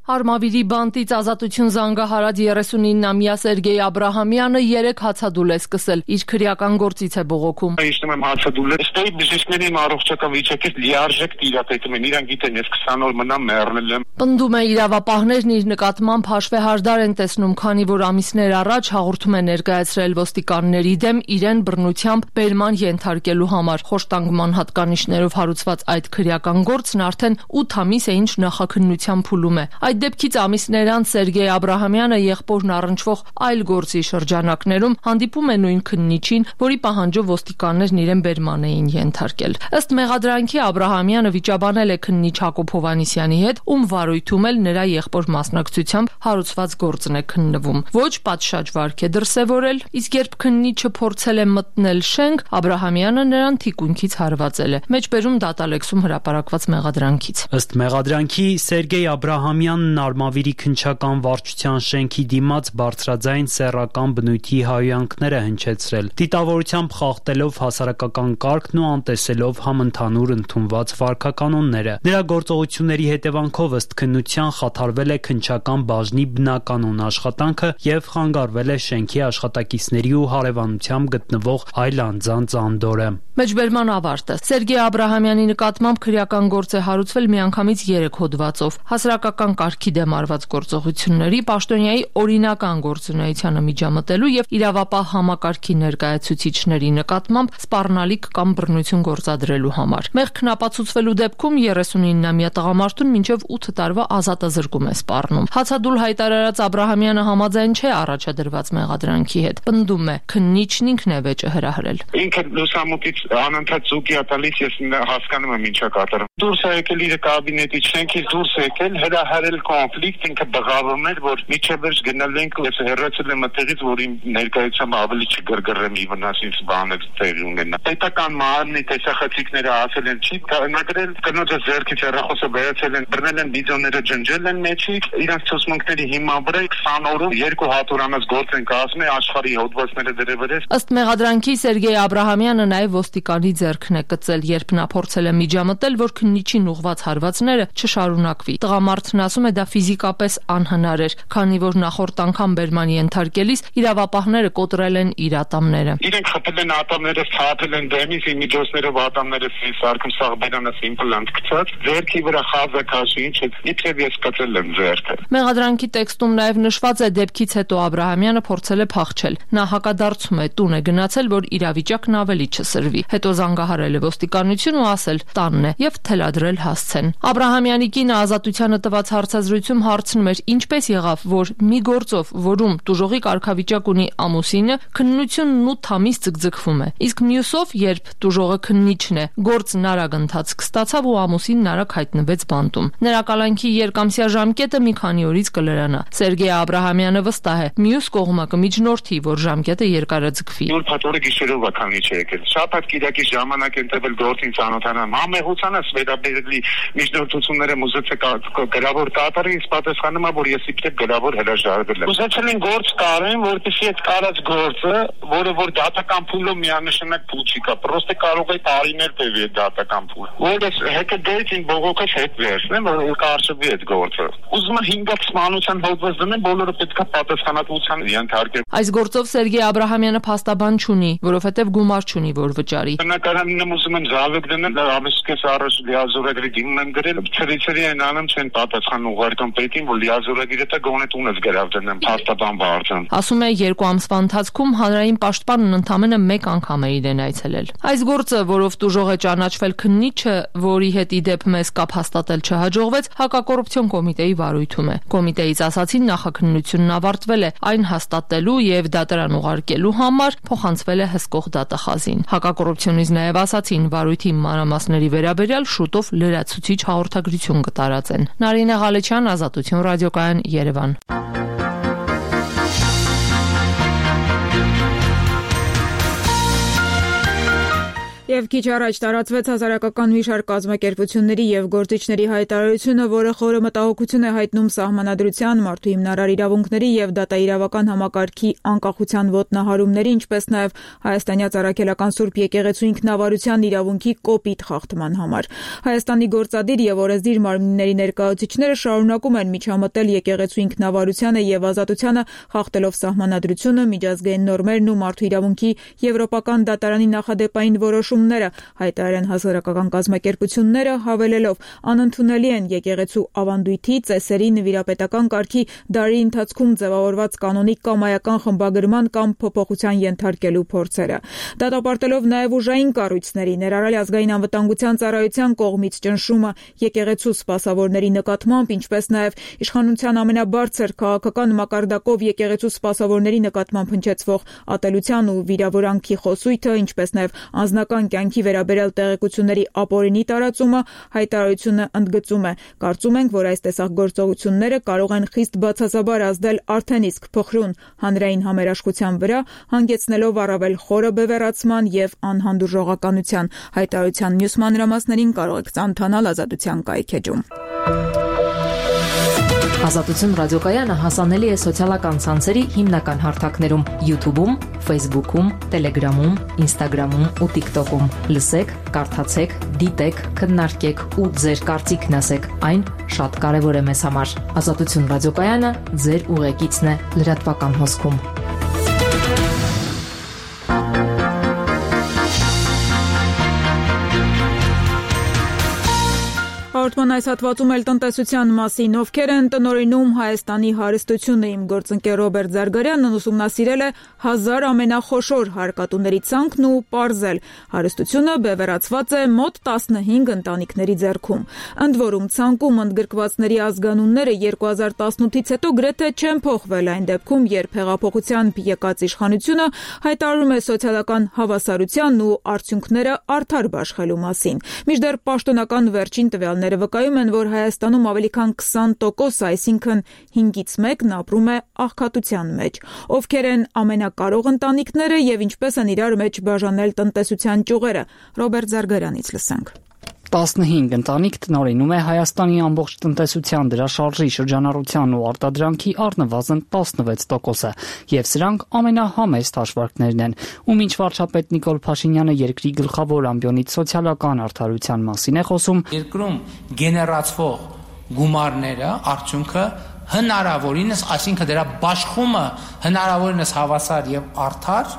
Արմավիրի բանտից ազատություն զանգահարած 39-ամյա Սերգեյ Աբրահամյանը 3 հացադուլ է սկսել, իր քրեական գործից է բողոքում։ Եմ հացադուլը, ստեի բժիշկների առողջական վիճակից լիարժեք տիրապետում են, իրան գիտեն, ես 20 օր մնամ մեռնել եմ։ Պնդում է իրավապահներն իր նկատմամբ հաշվեհարդար են տեսնում, քանի որ ամիսներ առաջ հաղորդում է ներկայացրել ոստիկանների դեմ իրեն բռնությամբ բերման ենթարկելու համար։ Խոշտանգման հատկանիշներով հարուցված այդ քրեական գործն արդեն 8 ամիս է ինչ նախաքննության փուլում է։ Այդ դեպքից ամիսներ անց Սերգեյ Աբրահամյանը եղբորն առնչվող այլ գործի շրջանակներում հանդիպում է նույն քննիչին, որի պահանջով ոստիկաններն իրեն բերման էին ենթարկել։ Ըստ մեղադրանքի Աբրահամյանը վիճաբանել է քննիչ Հակոբ Հովհաննիսյանի հետ, ում վարույթում էլ նրա եղբոր մասնակցությամբ հարուցված գործն է քննվում։ Ոչ պատշաճ վարք է դրսևորել, իսկ երբ քննիչը փորձել է մտնել շենք, Աբրահամյանը նրան թիկունքից հարվածել է։ Մեջբերում դատալեքսում հրապարակված մեղադրանքից։ Ըստ մեղադրանքի Սերգեյ Աբրահամյանն Արմավիրի քննչական վարչության շենքի դիմաց բարձրաձայն սեռական բնույթի հայհոյանքները հնչեցրել, դիտավորությամբ խախտելով հասարակական կարգն ու անտեսելով համընդհանուր ընդունված վարքականոնները։ Նրա գործողությունների հետևանքով ըստ քննության խաթարվել է քննչական բաժնի բնականոն աշխատանքը եւ խանգարվել է շենքի աշխատակիցների ու հարևանությամբ գտնվող այլ անձանց անդորրը։ Մեջբերման ավարտը։ Սերգեյ Աբրահամյանի նկատմամբ քրեական գործ է հարուցվել միանգամից 3 հոդվածով՝ հասարակական կարգի դեմ արված գործողությունների, պաշտոնյայի օրինական գործունեությանը միջամտելու եւ իրավապահ համակարգի ներկայացուցիչների նկատմամբ սպառնալիք կամ բռնություն գործադրելու համար։ Մեղքն ապացուցվելու դեպքում 39-ամյա տղամարդուն մինչև 8 տարվա ազատազրկում է սպառնում։ Հացադուլ հայտարարած Աբրահամյանը համաձայն չէ առաջադրված մեղադրանքի հետ։ Պնդում է, քննիչն ինքն է վեճը հրահրել։ Ինքը լուսամուտից անընդհատ զուգի է տալիս, ես հասկանում եմ ինչա կատարում։ Դուրս է եկել իր կաբինետից, շենքից դուրս է եկել, հրահրել կոնֆլիկտ, ինքը բղավում էր, որ միջև վերջ գնալ ենք, ես հեռացել եմ այդտեղից, որ իմ ներկայությամբ ավելի չգրգռեմ ի վնաս ինձ բաներ տեղի ունենա։ Պետական մարմնի տեսախցիկները ասել են չի նագրել, կնոջը ձեռքից հեռախոսը վերացել են, բռնել են վիդեոները, ջնջել են մեջի, իրանց ցուցմունքների հիման վրա 20 օրում 2 հատուրանած գործ են կազմել աշխարհի հոդվածները դրևերես։ Ըստ մեղադրանքի Սերգեյ Աբրահամյանը նաև ոստիկանի ձեռքն է կծել, երբ նա փորձել է միջամտել, որ քննիչին ուղված հարվածները չշարունակվի։ Տղամարդն ասում է դա ֆիզիկապես անհնար էր, քանի որ նախորդ անգամ բերման ենթարկելիս իրավապահները կոտրել են իր ատամները։ Իրենք խփել են ատամները, ցածել են դեմից, միջոցներով ատամները սարքում սաղ բերանս իմպլանտ գցած, ձեռքի վրա խազը քաշի, ինչ է, իբրև ես կծել եմ ձեռքը։ Մեղադրանքի տեքստում նաև նշված է դեպքից հետո Աբրահամյանը փորձել է փախչել։ Նա հակադարձում է, տուն է գնացել, որ իրավիճակն ավելի չսրվի։ Հետո զանգահարել է ոստիկանություն ու ասել տանն է եւ թելադրել հասցեն։ Աբրահամյանի կինը ազատությանը տված հարցազրույցում հարցնում էր ինչպես եղավ, որ մի գործով, որում տուժողի կարգավիճակ ունի ամուսինը, քննությունն 8 ամիս ձգձգվում է։ Իսկ մյուսով, երբ տուժողը քննիչն է, գործն արագ ընթացք ստացավ ու ամուսինն արագ հայտնվեց բանտում։ Նրա կալանքի երկամսյա ժամկետը մի քանի օրից կլրանա։ Սերգեյ Աբրահամյանը վստահ է, մյուս կողմը կմիջնորդի, որ ժամկետը երկարաձգվի։ Նոր փաթորը գիշերով է քանի չէ եկել։ Շաբաթ կիրակի ժամանակ են տվել գործին ծանոթանամ։ Համեղությանս վերաբերելի միջնորդությունները մուզեցե գրավոր կատարի ինձ պատասխանում է, որ ես իբրև գրավոր հրաժարվել եմ։ Ուզեցել են գործ կարեն, որպեսզի այդ կարած գործը, որը որ դատական փուլով միանշանակ փուլ չի կա, պրոստը կարող է տարիներ տևի այդ դատական փուլը։ Որպես հետը դեյթին բողոքած հետ վերցնեմ, որ կարճվի այդ գործը։ Ուզում եմ 5 սմանության հոդված դնեմ, բոլորը պետք է պատասխանատվության ենթարկեն։ Այս գործով Սերգեյ Աբրահամյանը փաստաբան չունի, որովհետև գումար չունի, որ վճարի։ Բնակարանն ուզում եմ զավակ դնել, ամիսկես առաջ լիազորագրի դիմում եմ գրել, ծրիցրի են անում չեն պատասխան ուղարկում պետին, որ լիազորագիրը դա գոնե տունս գրավ դնեմ, փաստաբան վարձան։ Ասում է 2 ամսվա ընթացքում հանրային պաշտպանն ընդամենը 1 անգամ է իրեն այցելել։ Այս գործը, որով տուժող է ճանաչվել քննիչը, որի հետ ի դեպ մեզ կապ հաստատել չհաջողվեց, հակակոռուպցիոն կոմիտեի վարույթում է։ Կոմիտեից ասացին նախաքննությունն ավարտվել է, այն հաստատելու եւ դատարան ուղարկելու համար փոխանցվել է հսկող դատախազին։ Հակակոռուպցիոնից նաև ասացին վարույթի մանրամասների վերաբերյալ շուտով լրացուցիչ հաղորդագրություն կտարածեն։ Նարինե Ղալեչյան, Ազատություն ռադիոկայան, Երևան։ Եվ քիչ առաջ տարածվեց հասարակական մի շարք կազմակերպությունների եւ գործիչների հայտարարությունը, որը խորը մտահոգություն է հայտնում սահմանադրության, մարդու հիմնարար իրավունքների եւ դատաիրավական համակարգի անկախության ոտնահարումների, ինչպես նաեւ հայաստանյաց առաքելական Սուրբ եկեղեցու ինքնավարության իրավունքի կոպիտ խախտման համար։ Հայաստանի գործադիր եւ օրենսդիր մարմինների ներկայացուցիչները շարունակում են միջամտել եկեղեցու ինքնավարությանը եւ ազատությանը, խախտելով սահմանադրությունը, միջազգային նորմերն ու մարդու իրավունքի եվրոպական դատարանի նախադեպային որոշում հայտարարեն հասարակական կազմակերպությունները, հավելելով անընդունելի են եկեղեցու ավանդույթի, ծեսերի, նվիրապետական կարգի դարի ընթացքում ձևավորված կանոնիկ կամ այական խմբագրման կամ փոփոխության ենթարկելու փորձերը։ Դատապարտելով նաև ուժային կառույցների, ներառյալ ազգային անվտանգության ծառայության կողմից ճնշումը եկեղեցու սպասավորների նկատմամբ, ինչպես նաև իշխանության ամենաբարձր քաղաքական մակարդակով եկեղեցու սպասավորների նկատմամբ հնչեցվող ատելության ու վիրավորանքի խոսույթը, ինչպես նաև անձնական քաղաքական կյանքի վերաբերյալ տեղեկությունների ապօրինի տարածումը հայտարարությունը ընդգծում է։ Կարծում ենք, որ այս տեսակ գործողությունները կարող են խիստ բացասաբար ազդել արդեն իսկ փխրուն հանրային համերաշխության վրա, հանգեցնելով առավել խորը բևեռացման եւ անհանդուրժողականության։ Հայտարարության մյուս մանրամասներին կարող եք ծանոթանալ Ազատության կայքէջում։ Ազատություն ռադիոկայանը հասանելի է սոցիալական ցանցերի հիմնական հարթակներում՝ YouTube-ում, Facebook-ում, Telegram-ում, Instagram-ում ու TikTok-ում։ Լսեք, կարդացեք, դիտեք, քննարկեք ու ձեր կարծիքն ասեք։ Այն շատ կարևոր է մեզ համար։ Ազատություն ռադիոկայանը ձեր ուղեկիցն է լրատվական հոսքում։ Հաղորդման այս հատվածում էլ տնտեսության մասին, ովքեր են տնօրինում Հայաստանի հարստությունը, իմ գործընկեր Ռոբերտ Զարգարյանն ուսումնասիրել է 1000 ամենախոշոր հարկատուների ցանկն ու պարզել. հարստությունը բևեռացված է մոտ 15 ընտանիքների ձեռքում։ Ընդ որում ցանկում ընդգրկվածների ազգանունները 2018-ից հետո գրեթե չեն փոխվել, այն դեպքում, երբ հեղափոխությամբ եկած իշխանությունը հայտարարում է սոցիալական հավասարության ու արդյունքները արդար բաշխելու մասին։ Մինչդեռ պաշտոնական վերջին տվյալները վկայում են, որ Հայաստանում ավելի քան 20%, այսինքն 5-ից 1-ն ապրում է աղքատության մեջ։ Ովքեր են ամենակարող ընտանիքները եւ ինչպես են իրար մեջ բաժանել տնտեսության ճյուղերը։ Ռոբերտ Զարգարյանից լսենք։ 15 ընտանիք տնօրինում է Հայաստանի ամբողջ տնտեսության դրաշարժի շրջանառության ու արտադրանքի առնվազն 16%-ը, եւ սրանք ամենահամեստ հաշվարկներն են։ Ու մինչ վարչապետ Նիկոլ Փաշինյանը երկրի գլխավոր ամբիոնից սոցիալական արդարության մասին է խոսում, երկրում գեներացվող գումարները, արդյունքը հնարավորինս, այսինքն դրա բաշխումը հնարավորինս հավասար եւ արդար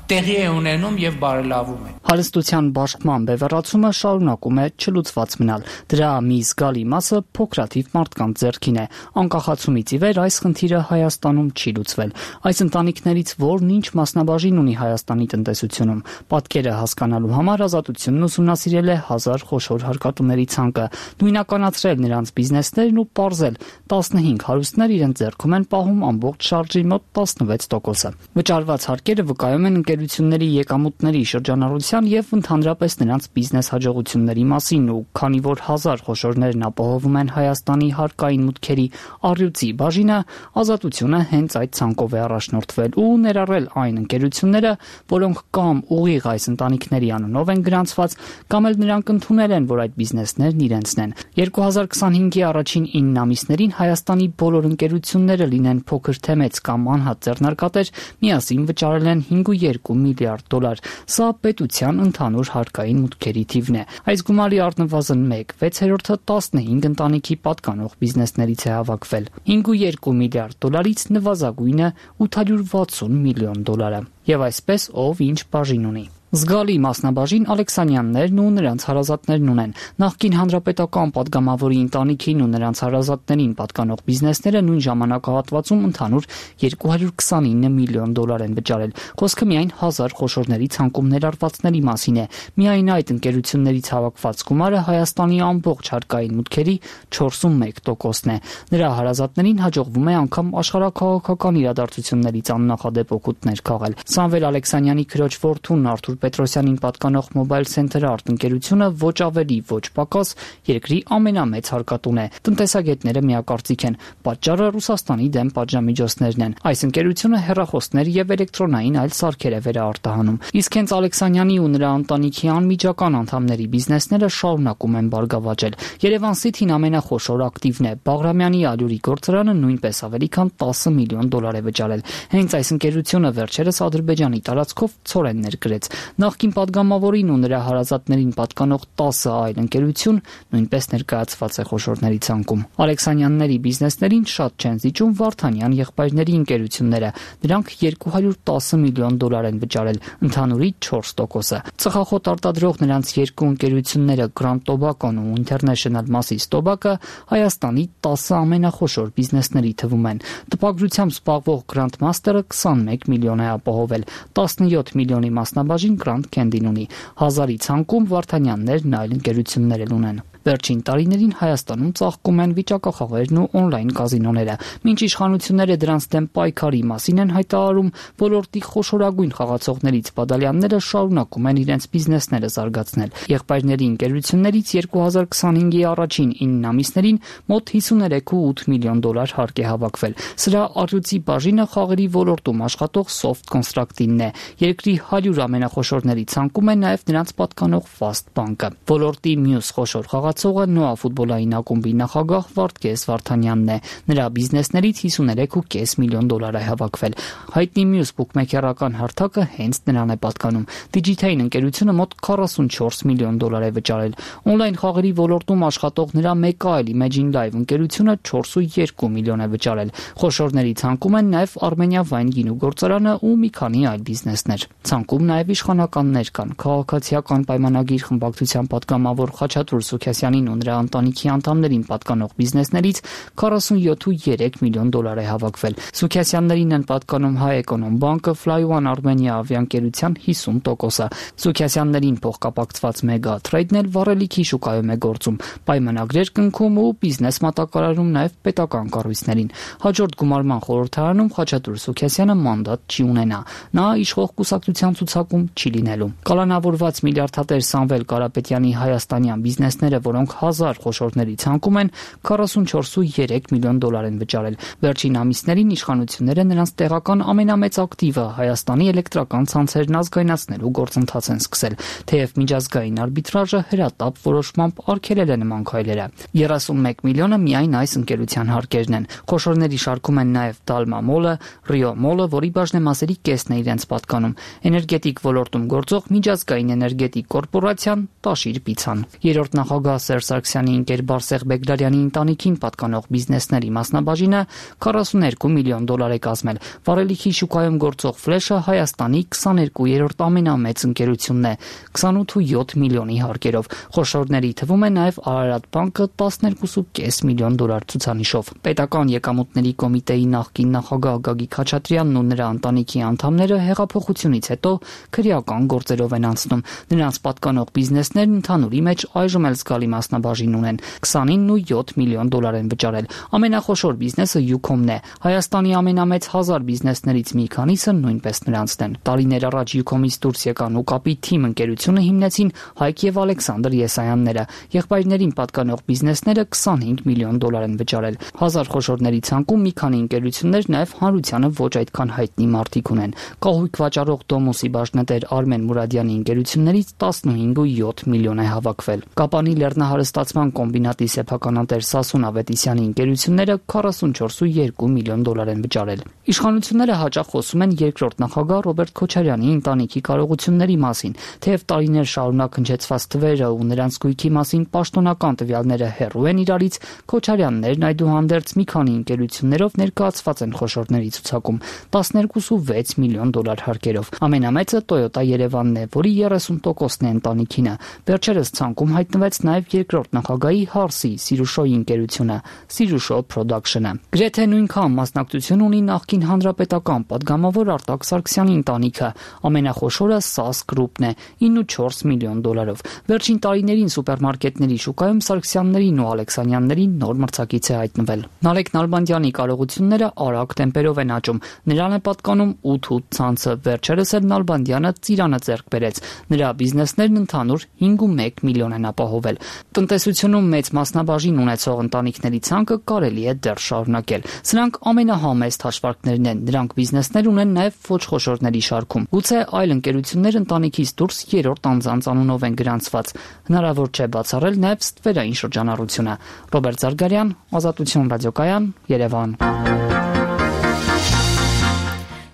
տեղի է ունենում եւ բարելավում է։ Հարստության բաշխման բևեռացումը շարունակում է չլուծված մնալ։ Դրա մի զգալի մասը փոքրաթիվ մարդկանց ձեռքին է։ Անկախացումից ի վեր այս խնդիրը Հայաստանում չի լուծվել։ Այս ընտանիքներից որն ինչ մասնաբաժին ունի Հայաստանի տնտեսությունում։ Պատկերը հասկանալու համար Ազատությունն ուսումնասիրել է 1000 խոշոր հարկատուների ցանկը, նույնականացրել նրանց բիզնեսներն ու պարզել 15 հարուստներ իրենց ձեռքում են պահում ամբողջ շարժի մոտ 16%-ը։ Վճարված հարկերը վկայում են ընկերությունների եկամուտների շրջանառության եւ ընդհանրապես նրանց բիզնես հաջողությունների մասին ու քանի որ 1000 խոշորներն ապահովում են Հայաստանի հարկային մուտքերի առյուծի բաժինը, Ազատությունը հենց այդ ցանկով է առաջնորդվել ու ներառել այն ընկերությունները, որոնք կամ ուղիղ այս ընտանիքների անունով են գրանցված, կամ էլ նրանք ընդունել են, որ այդ բիզնեսներն իրենցն են։ 2025-ի առաջին 9 ամիսներին Հայաստանի բոլոր ընկերությունները լինեն փոքր թե մեծ կամ անհատ ձեռնարկատեր, միասին վճարել են 5.2 միլիարդ դոլար։ Սա պետության ընդհանուր հարկային մուտքերի թիվն է։ Այս գումարի առնվազն 1/6-ը 15 ընտանիքի պատկանող բիզնեսներից է հավաքվել։ 5.2 միլիարդ դոլարից նվազագույնը 860 միլիոն դոլար է։ Եվ այսպես ով ինչ բաժին ունի։ Զգալի մասնաբաժին Ալեքսանյաններն ու նրանց հարազատներն ունեն։ Նախկին հանրապետական падգամավորի ընտանիքին ու նրանց հարազատներին պատկանող բիզնեսները նույն ժամանակահատվածում ընդհանուր 229 միլիոն դոլար են վճարել։ Խոսքը միայն 1000 խոշորների ցանկում ներառվածների մասին է։ Միայն այդ ընկերություններից հավաքված գումարը Հայաստանի ամբողջ հարկային մուտքերի 41%-ն է։ Նրա հարազատներին հաջողվում է անգամ աշխարհաքաղաքական իրադարձություններից աննախադեպ օգուտներ քաղել։ Սամվել Ալեքսանյանի քրոջ որդուն Արթուր Պետրոսյանին պատկանող Mobile Center Art ընկերությունը ոչ ավելի ոչ պակաս երկրի ամենամեծ հարկատուն է։ Տնտեսագետները միակարծիք են, պատճառը Ռուսաստանի դեմ պատժամիջոցներն են։ Այս ընկերությունը հեռախոսներ եւ էլեկտրոնային այլ սարքեր է վերարտահանում։ Իսկ հենց Ալեքսանյանի ու նրա ընտանիքի անմիջական անդամների բիզնեսները շարունակում են բարգավաճել։ Երևան City-ն ամենախոշոր ակտիվն է։ Բաղրամյանի ալյուրի գործարանը նույնպես ավելի քան 10 միլիոն դոլար է վճարել։ Հենց այս ընկերությունը վերջերս Ադրբեջանի տարածքով ցորեն ներկրեց։ Նախկին падգամավորին ու նրա հարազատներին պատկանող 10 այլ ընկերություն նույնպես ներկայացված է խոշորների ցանկում։ Ալեքսանյանների բիզնեսներին շատ չեն զիջում Վարդանյան եղբայրների ընկերությունները։ Դրանք 210 միլիոն դոլար են վճարել, ընդհանուրի 4%-ը։ Ծխախոտ արտադրող նրանց երկու ընկերությունները Grand Tobacco-ն ու International Masses Tobacco Հայաստանի 10 ամենախոշոր բիզնեսների թվում են։ Տպագրությամբ զբաղվող Grand Master-ը 21 միլիոն է ապահովել, 17 միլիոնի մասնաբաժին Grand Candy-ն ունի։ 1000-ի ցանկում Վարդանյաններն այլ ընկերություններ ունեն։ Վերջին տարիներին Հայաստանում ծաղկում են վիճակախաղերն ու օնլայն կազինոները։ Մինչ իշխանությունները դրանց դեմ պայքարի մասին են հայտարարում, ոլորտի խոշորագույն խաղացողներից բադալյանները շարունակում են իրենց բիզնեսները զարգացնել։ Եղբայրների ընկերություններից 2025-ի առաջին 9 ամիսներին մոտ 53.8 միլիոն դոլար հարկ է հավաքվել։ Սրա առյուծի բաժինը խաղերի ոլորտում աշխատող Soft Construct-ինն է։ Երկրի 100 ամենախոշորների ցանկում է նաև նրանց պատկանող Fast Bank-ը։ Ոլորտի մյուս խոշոր խաղացողը Նոա ֆուտբոլային ակումբի նախագահ Վարդգես Վարդանյանն է։ Նրա բիզնեսներից 53.5 միլիոն դոլար է հավաքվել։ Հայտնի մյուս բուկմեքերական հարթակը հենց նրան է պատկանում։ Digitane ընկերությունը մոտ 44 միլիոն դոլար է վճարել։ Օնլայն խաղերի ոլորտում աշխատող նրա մեկ այլ Imagine Live ընկերությունը 4.2 միլիոն է վճարել։ Խոշորների ցանկում են նաև Armenia Wine գինու գործարանը ու մի քանի այլ բիզնեսներ։ Ցանկում նաև իշխանականներ կան։ Քաղաքացիական պայմանագիր խմբակցության պատգամավոր Խաչատուր Սուքասյանին ու նրա ընտանիքի անդամներին պատկանող բիզնեսներից 47.3 միլիոն դոլար է հավաքվել։ Սուքասյաններին են պատկանում Հայ Էկոնոմ բանկը, Fly One Armenia ավիաընկերության 50%-ը։ Սուքասյաններին փոխկապակցված Mega Trade-ն էլ վառելիքի շուկայում է գործում, պայմանագրեր կնքում ու բիզնես մատակարարում նաև պետական կառույցներին։ Հաջորդ գումարման խորհրդարանում Խաչատուր Սուքասյանը մանդատ չի ունենա։ Նա իշխող կուսակցության ցուցակում չի լինելու։ Կալանավորված միլիարդատեր Սամվել Կարապետյանի հայաստանյան բիզնեսները, որոնք 1000 խոշորների ցանկում են, 44.3 միլիոն դոլար են վճարել։ Վերջին ամիսներին իշխանությունները նրանց տեղական ամենամեծ ակտիվը Հայաստանի էլեկտրական ցանցերն ազգայնացնելու գործընթաց են սկսել, թեև միջազգային արբիտրաժը հրատապ որոշմամբ արգելել է նման քայլերը։ 31 միլիոնը միայն այս ընկերության հարկերն են։ Խոշորների շարքում են նաև Dalma Mall-ը, Rio Mall-ը, որի բաժնեմասերի կեսն է իրենց պատկանում, էներգետիկ ոլորտում գործող միջազգային էներգետիկ կորպորացիան Տաշիր Պիցան։ Երրորդ նախագահ Սերժ Սարգսյանի ընկեր Բարսեղ Բեգդարյանի ընտանիքին պատկանող բիզնեսների մասնաբաժինը 42 միլիոն դոլար է կազմել։ Վառելիքի շուկայում գործող Ֆլեշը Հայաստանի 22-րդ ամենամեծ ընկերությունն է 28.7 միլիոնի հարկերով։ Խոշորների թվում է նաև Արարատ բանկը 12.5 միլիոն դոլար ցուցանիշով։ Պետական եկամուտների կոմիտեի նախկին նախագահ Գագիկ Խաչատրյանն ու նրա ընտանիքի անդամները հեղափոխությունից հետո քրեական գործերով են անցնում։ Նրանց պատկանող բիզնեսներն ընդհանուրի մեջ այժմ էլ զգալի մասնաբաժին ունեն։ 29.7 միլիոն դոլար են վճարել։ Ամենախոշոր բիզնեսը Ucom-ն է։ Հայաստանի ամենամեծ 1000 բիզնեսներից մի քանիսը նույնպես նրանցն են։ Տարիներ առաջ Ucom-ից դուրս եկան Ուկապի Թիմ ընկերությունը հիմնեցին Հայկ եւ Ալեքսանդր Եսայանները։ Եղբայրներին պատկանող բիզնեսները 25 միլիոն դոլար են վճարել։ 1000 խոշորների ցանկում մի քանի ընկերություններ նաև հանրությանը ոչ այդքան հայտնի մարդիկ ունեն։ Կահույք վաճառող Դոմոսի բաժնետեր Արմեն Մուրադյանի ընկերություններից 15.7 միլիոն է հավաքվել։ Կապանի լեռնահարստացման կոմբինատի սեփականատեր Սասուն Ավետիսյանի ընկերությունները 44.2 միլիոն դոլար են վճարել։ Իշխանությունները հաճախ խոսում են երկրորդ նախագահ Ռոբերտ Քոչարյանի ընտանիքի կարողությունների մասին, թեև տարիներ շարունակ հնչեցված թվերը ու նրանց գույքի մասին պաշտոնական տվյալները հեռու են իրարից, Քոչարյաններն այդուհանդերձ մի քանի ընկերություններով ներկայացված են խոշորների ցուցակում 12.6 միլիոն դոլար հարկերով։ Ամենամեծը Toyota Երևանն է, որի 30%-ն է ընտանիքինը։ Վերջերս ցանկում հայտնվեց նաև երկրորդ նախագահի Հարսի Սիրուշոյի ընկերությունը, Սիրուշո Production-ը։ Գրեթե նույնքան մասնակցություն ունի նախկին հանրապետական падգամավոր Արտակ Սարգսյանի ընտանիքը։ Ամենախոշորը SAS Group-ն է 9.4 միլիոն դոլարով։ Վերջին տարիներին սուպերմարկետների շուկայում Սարգսյաններին ու Ալեքսանյաններին նոր մրցակից է հայտնվել։ Նալեկ Նալբանդյանի կարողությունները արագ տեմպերով են աճում։ Նրան է պատկանում 8 ցանցը։ Վերջերս էլ Նալբանդյանը ծիրանը ձեռք բերեց։ Նրա բիզնեսներն ընդհանուր 5.1 միլիոն են ապահովել։ Տնտեսությունում մեծ մասնաբաժին ունեցող ընտանիքների ցանկը կարելի է դեռ շարունակել։ Սրանք ամենահամեստ հաշվարկներն են։ Նրանք բիզնեսներ ունեն նաև ոչ խոշորների շարքում։ Գուցե այլ ընկերություններ ընտանիքից դուրս երրորդ անձանց անունով են գրանցված։ Հնարավոր չէ բացառել նաև ստվերային շրջանառությունը։ Ռոբերտ Զարգարյան, Ազատություն ռադիոկայան, Երևան։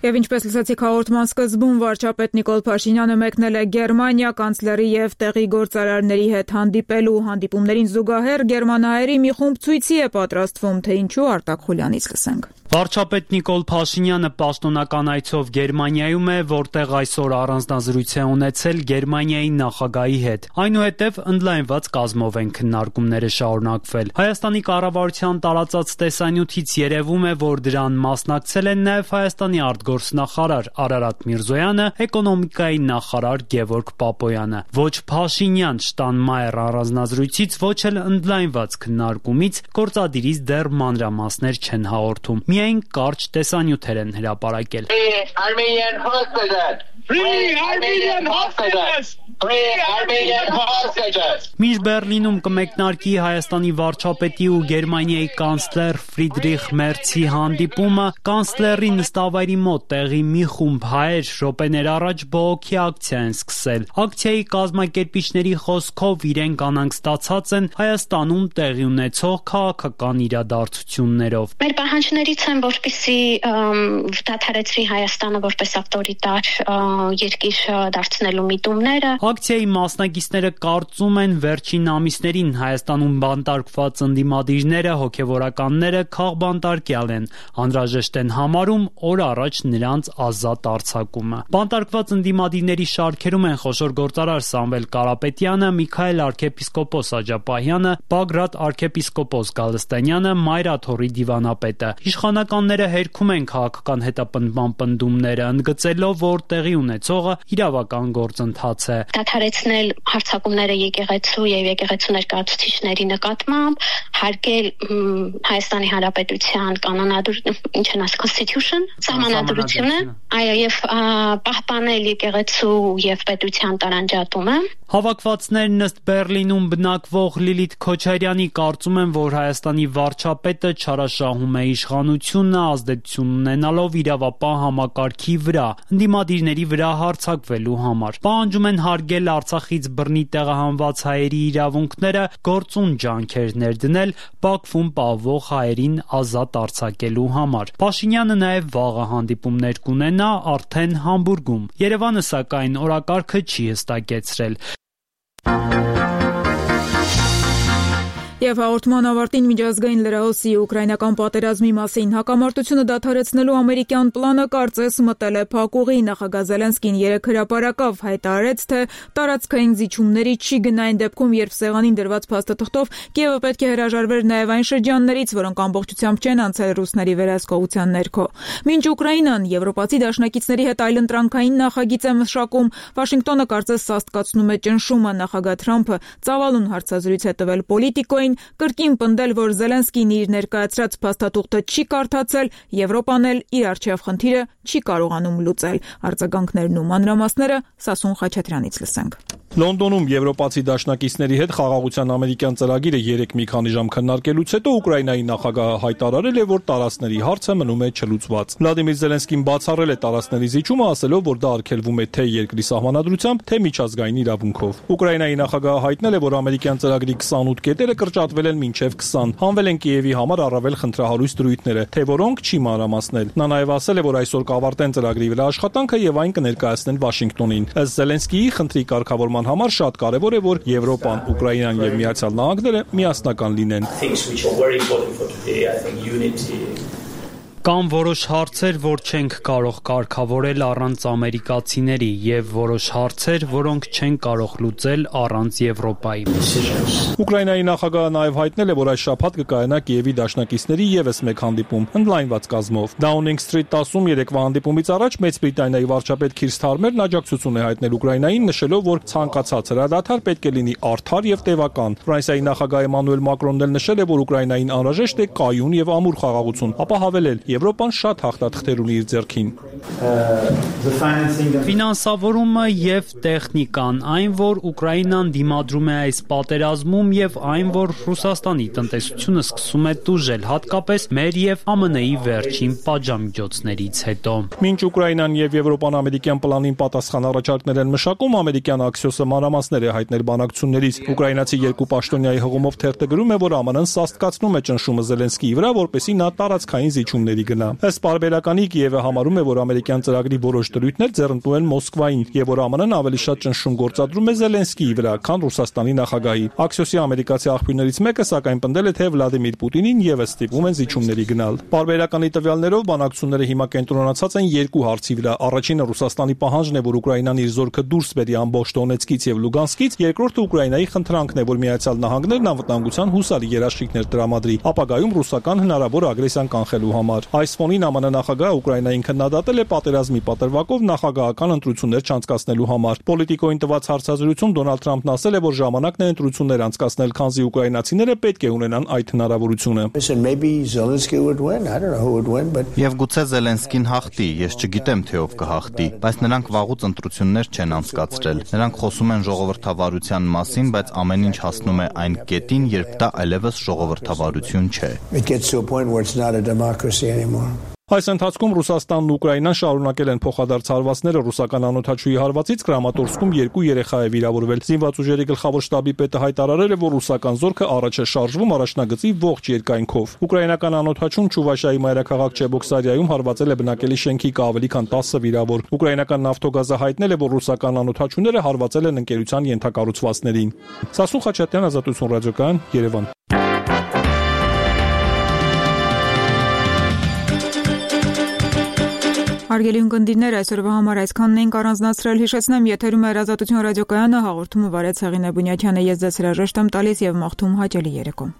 Եվ ինչպես լսեցիք հաղորդման սկզբում, վարչապետ Նիկոլ Փաշինյանը մեկնել է Գերմանիա կանցլերի եւ տեղի գործարարների հետ հանդիպելու։ Հանդիպումներին զուգահեռ գերմանահայերի մի խումբ ցույցի է պատրաստվում, թե ինչու Արտակ Խուլյանից լսենք։ Վարչապետ Նիկոլ Փաշինյանը պաշտոնական այցով Գերմանիայում է, որտեղ այսօր առանձնազրույց է ունեցել Գերմանիայի նախագահի հետ։ Այնուհետև ընդլայնված կազմով են քննարկումները շարունակվել։ Հայաստանի կառավարության տարածած տեսանյութից երևում է, որ դրան մասնակցել են նաև Հայաստանի արտգործնախարար Արարատ Միրզոյանը, էկոնոմիկայի նախարար Գևորգ Պապոյանը։ Ոչ Փաշինյան Շտանմայեր առանձնազրույցից, ոչ էլ ընդլայնված քննարկումից գործադիրից դեռ մանրամասներ չեն հաղորդում։ Միայն կարճ տեսանյութեր են հրապարակել։ Մինչ Բեռլինում կմեկնարկի Հայաստանի վարչապետի ու Գերմանիայի կանցլեր Ֆրիդրիխ Մերցի հանդիպումը, կանցլերի նստավայրի մոտ տեղի մի խումբ հայեր րոպեներ առաջ բողոքի ակցիա են սկսել։ Ակցիայի կազմակերպիչների խոսքով իրենք անհանգստացած են Հայաստանում տեղի ունեցող քաղաքական իրադարձություններով։ Մեր պահանջներից են, որպեսզի դադարեցվի Հայաստանը որպես ավտորիտար երկիր դարձնելու միտումները։ Ակցիայի մասնակիցները կարծում են վերջին ամիսներին Հայաստանում բանտարկված ընդդիմադիրները, հոգևորականները քաղբանտարկյալ են, անհրաժեշտ են համարում օր առաջ նրանց ազատ արձակումը։ Բանտարկված ընդդիմադիրների շարքերում են խոշոր գործարար Սամվել Կարապետյանը, Միքայել arczepiskopos Աջապահյանը, Բագրատ arczepiskopos Գալստանյանը, Մայրաթորի դիվանապետը։ Իշխանականները հերքում են քաղաքական հետապնդման պնդումները, ընդգծելով, որ տեղի ունեցողը իրավական գործընթաց է։ Դադարեցնել հարձակումները եկեղեցու եւ եկեղեցու ներկայացուցիչների նկատմամբ, հարգել Հայաստանի Հանրապետության Constitution, սահմանադրությունը, այո, եւ պահպանել եկեղեցու եւ պետության տարանջատումը։ Հավաքվածներն ըստ Բեռլինում բնակվող Լիլիթ Քոչարյանի կարծում են, որ Հայաստանի վարչապետը չարաշահում է իշխանությունը ազդեցություն ունենալով իրավապահ համակարգի վրա, ընդդիմադիրների վրա հարձակվելու համար։ Պահանջում են հարգել Արցախից բռնի տեղահանված հայերի իրավունքները, գործուն ջանքեր ներդնել Բաքվում պահվող հայերին ազատ արձակելու համար։ Փաշինյանը նաև վաղը հանդիպումներ կունենա արդեն Համբուրգում։ Երևանը սակայն օրակարգը չի հստակեցրել։ Եվ հաղորդման ավարտին միջազգային լրահոսի ուկրաինական պատերազմի մասին հակամարտությունը դադարեցնելու ամերիկյան պլանը կարծես մտել է փակուղի։ Նախագահ Զելենսկին երեկ հրապարակավ հայտարարեց, թե տարածքային զիջումների չի գնա այն դեպքում, երբ սեղանին դրված փաստաթղթով Կիևը պետք է հրաժարվեր նաև այն շրջաններից, որոնք ամբողջությամբ չեն անցել ռուսների վերահսկողության ներքո։ Մինչ Ուկրաինան եվրոպացի դաշնակիցների հետ այլընտրանքային նախագիծ է մշակում, Վաշինգտոնը կարծես սաստկացնում է ճնշումը։ Նախագահ Թրամփը ծավալուն հարցազրույց է տվել Պոլիտիկոյին, կրկին պնդել, որ Զելենսկին իր ներկայացրած փաստաթուղթը չի կարդացել, Եվրոպան էլ իր առջև խնդիրը չի կարողանում լուծել։ Արձագանքներն ու մանրամասները Սասուն Խաչատրյանից լսենք։ Լոնդոնում եվրոպացի դաշնակիցների հետ խաղաղության ամերիկյան ծրագիրը երեք մի քանի ժամ քննարկելուց հետո Ուկրաինայի նախագահը հայտարարել է, որ տարածքների հարցը մնում է չլուծված։ Վլադիմիր Զելենսկին բացառել է տարածքների զիջումը, ասելով, որ դա արգելվում է թե երկրի սահմանադրությամբ, թե միջազգային իրավունքով։ Ուկրաինայի նախագահը հայտնել է, որ ամերիկյան ծրագրի 28 կետերը կրճատվել են մինչև 20, հանվել են Կիևի համար առավել խնդրահարույց դրույթները, թե որոնք չի մանրամասնել։ Նա նաև ասել է, որ այսօր կավարտեն ծրագրի վրա աշխատանքը եւ այն կներկայացնեն Վաշինգտոնին։ Ըստ Զելենսկիի, խնդրի կարգավորման համար շատ կարևոր է, որ Եվրոպան, Ուկրաինան եւ Միացյալ Նահանգները միասնական լինեն։ Կան որոշ հարցեր, որ չենք կարող կարգավորել առանց ամերիկացիների եւ որոշ հարցեր, որոնք չեն կարող լուծել առանց Եվրոպայի։ Ուկրաինայի նախագահը նաև հայտնել է, որ այս շաբաթ կկայանա Կիևի դաշնակիցների եւս մեկ հանդիպում, ընդլայնված կազմով։ Downing Street 10-ում երեկվա հանդիպումից առաջ Մեծ Բրիտանիայի վարչապետ Քիր Սթարմերն աջակցություն է հայտնել Ուկրաինային, նշելով, որ ցանկացած հրադադար պետք է լինի արդար եւ տևական։ Ֆրանսիայի նախագահ Էմանուել Մակրոնն էլ նշել է, որ Ուկրաինային անհրաժեշտ է կայուն եւ ամուր խաղաղություն, ապա հավելել. Եվրոպան շատ հաղթաթղթեր ունի իր ձեռքին։ Ֆինանսավորումը եւ տեխնիկան, այն, որ Ուկրաինան դիմադրում է այս պատերազմում եւ այն, որ Ռուսաստանի տնտեսությունը սկսում է տուժել, հատկապես մեր եւ ԱՄՆ-ի վերջին պատժամիջոցներից հետո։ Մինչ Ուկրաինան եւ Եվրոպան ամերիկյան պլանին պատասխան առաջարկներ են մշակում, ամերիկյան Axios-ը մանրամասներ է հայտնել բանակցություններից։ Ուկրաինացի երկու պաշտոնյայի հղումով թերթը գրում է, որ ԱՄՆ-ն սաստկացնում է ճնշումը Զելենսկիի վրա, որպեսզի նա տարածքային զիջումների զիջումների գնա։ Ըստ պարբերականի Կիևը համարում է, որ ամերիկյան ծրագրի որոշ դրույթներ ձեռնտու են Մոսկվային եւ որ ԱՄՆ-ն ավելի շատ ճնշում գործադրում է Զելենսկիի վրա, քան Ռուսաստանի նախագահի։ Axios-ի ամերիկացի աղբյուրներից մեկը սակայն պնդել է, թե Վլադիմիր Պուտինին եւս ստիպում են զիջումների գնալ։ Պարբերականի տվյալներով բանակցությունները հիմա կենտրոնացած են երկու հարցի վրա։ Առաջինը Ռուսաստանի պահանջն է, որ Ուկրաինան իր զորքը դուրս բերի ամբողջ Դոնեցկից եւ Լուգանսկից, երկրորդը Ուկրաինայի խնդրանքն է, որ Միացյալ Նահանգներն անվտանգության հուսալի երաշխիքներ տրամադրի, ապագայում ռուսական հնարավոր ագրեսիան կանխելու համար։ Այս ֆոնին ԱՄՆ նախագահը Ուկրաինային քննադատել է պատերազմի պատրվակով նախագահական ընտրություններ չանցկացնելու համար։ Պոլիտիկոին տված հարցազրույցում Դոնալդ Թրամփն ասել է, որ ժամանակն է ընտրություններ անցկացնել, քանզի ուկրաինացիները պետք է ունենան այդ հնարավորությունը։ Եվ գուցե Զելենսկին հաղթի, ես չգիտեմ, թե ով կհաղթի, բայց նրանք վաղուց ընտրություններ չեն անցկացրել։ Նրանք խոսում են ժողովրդավարության մասին, բայց ամեն ինչ հասնում է այն կետին, երբ դա այլևս ժողովրդավարություն չէ։ Այս ընթացքում Ռուսաստանն ու Ուկրաինան շարունակել են փոխադարձ հարվածները ռուսական անօթաչուի հարվածից Կրամատորսկում 2 երեխա է վիրավորվել։ Զինված ուժերի գլխավոր շտաբի պետը հայտարարել է, որ ռուսական զորքը առաջ է շարժվում առաջնագծի ողջ երկայնքով։ Ուկրաինական անօթաչուն Չուվաշիայի մայրաքաղաք Չեբոքսարիայում հարվածել է բնակելի շենքի ավելի քան 10 վիրավոր։ Ուկրաինական նավթոգազը հայտնել է, որ ռուսական անօթաչուները հարվածել են ընկերության ենթակառուցվածքներին։ Սասուն Խաչատյան, Ազատություն ռադիոկայան, Երևան։ Հարգելի ունկնդիրներ, այսօրվա համար այսքանն էինք առանձնացրել։ Հիշեցնեմ, եթերում է Ազատություն ռադիոկայանը, հաղորդումը վարեց Հեղինե Բունյաթյանը, ես ձեզ հրաժեշտ եմ տալիս եւ մաղթում հաճելի երեկո։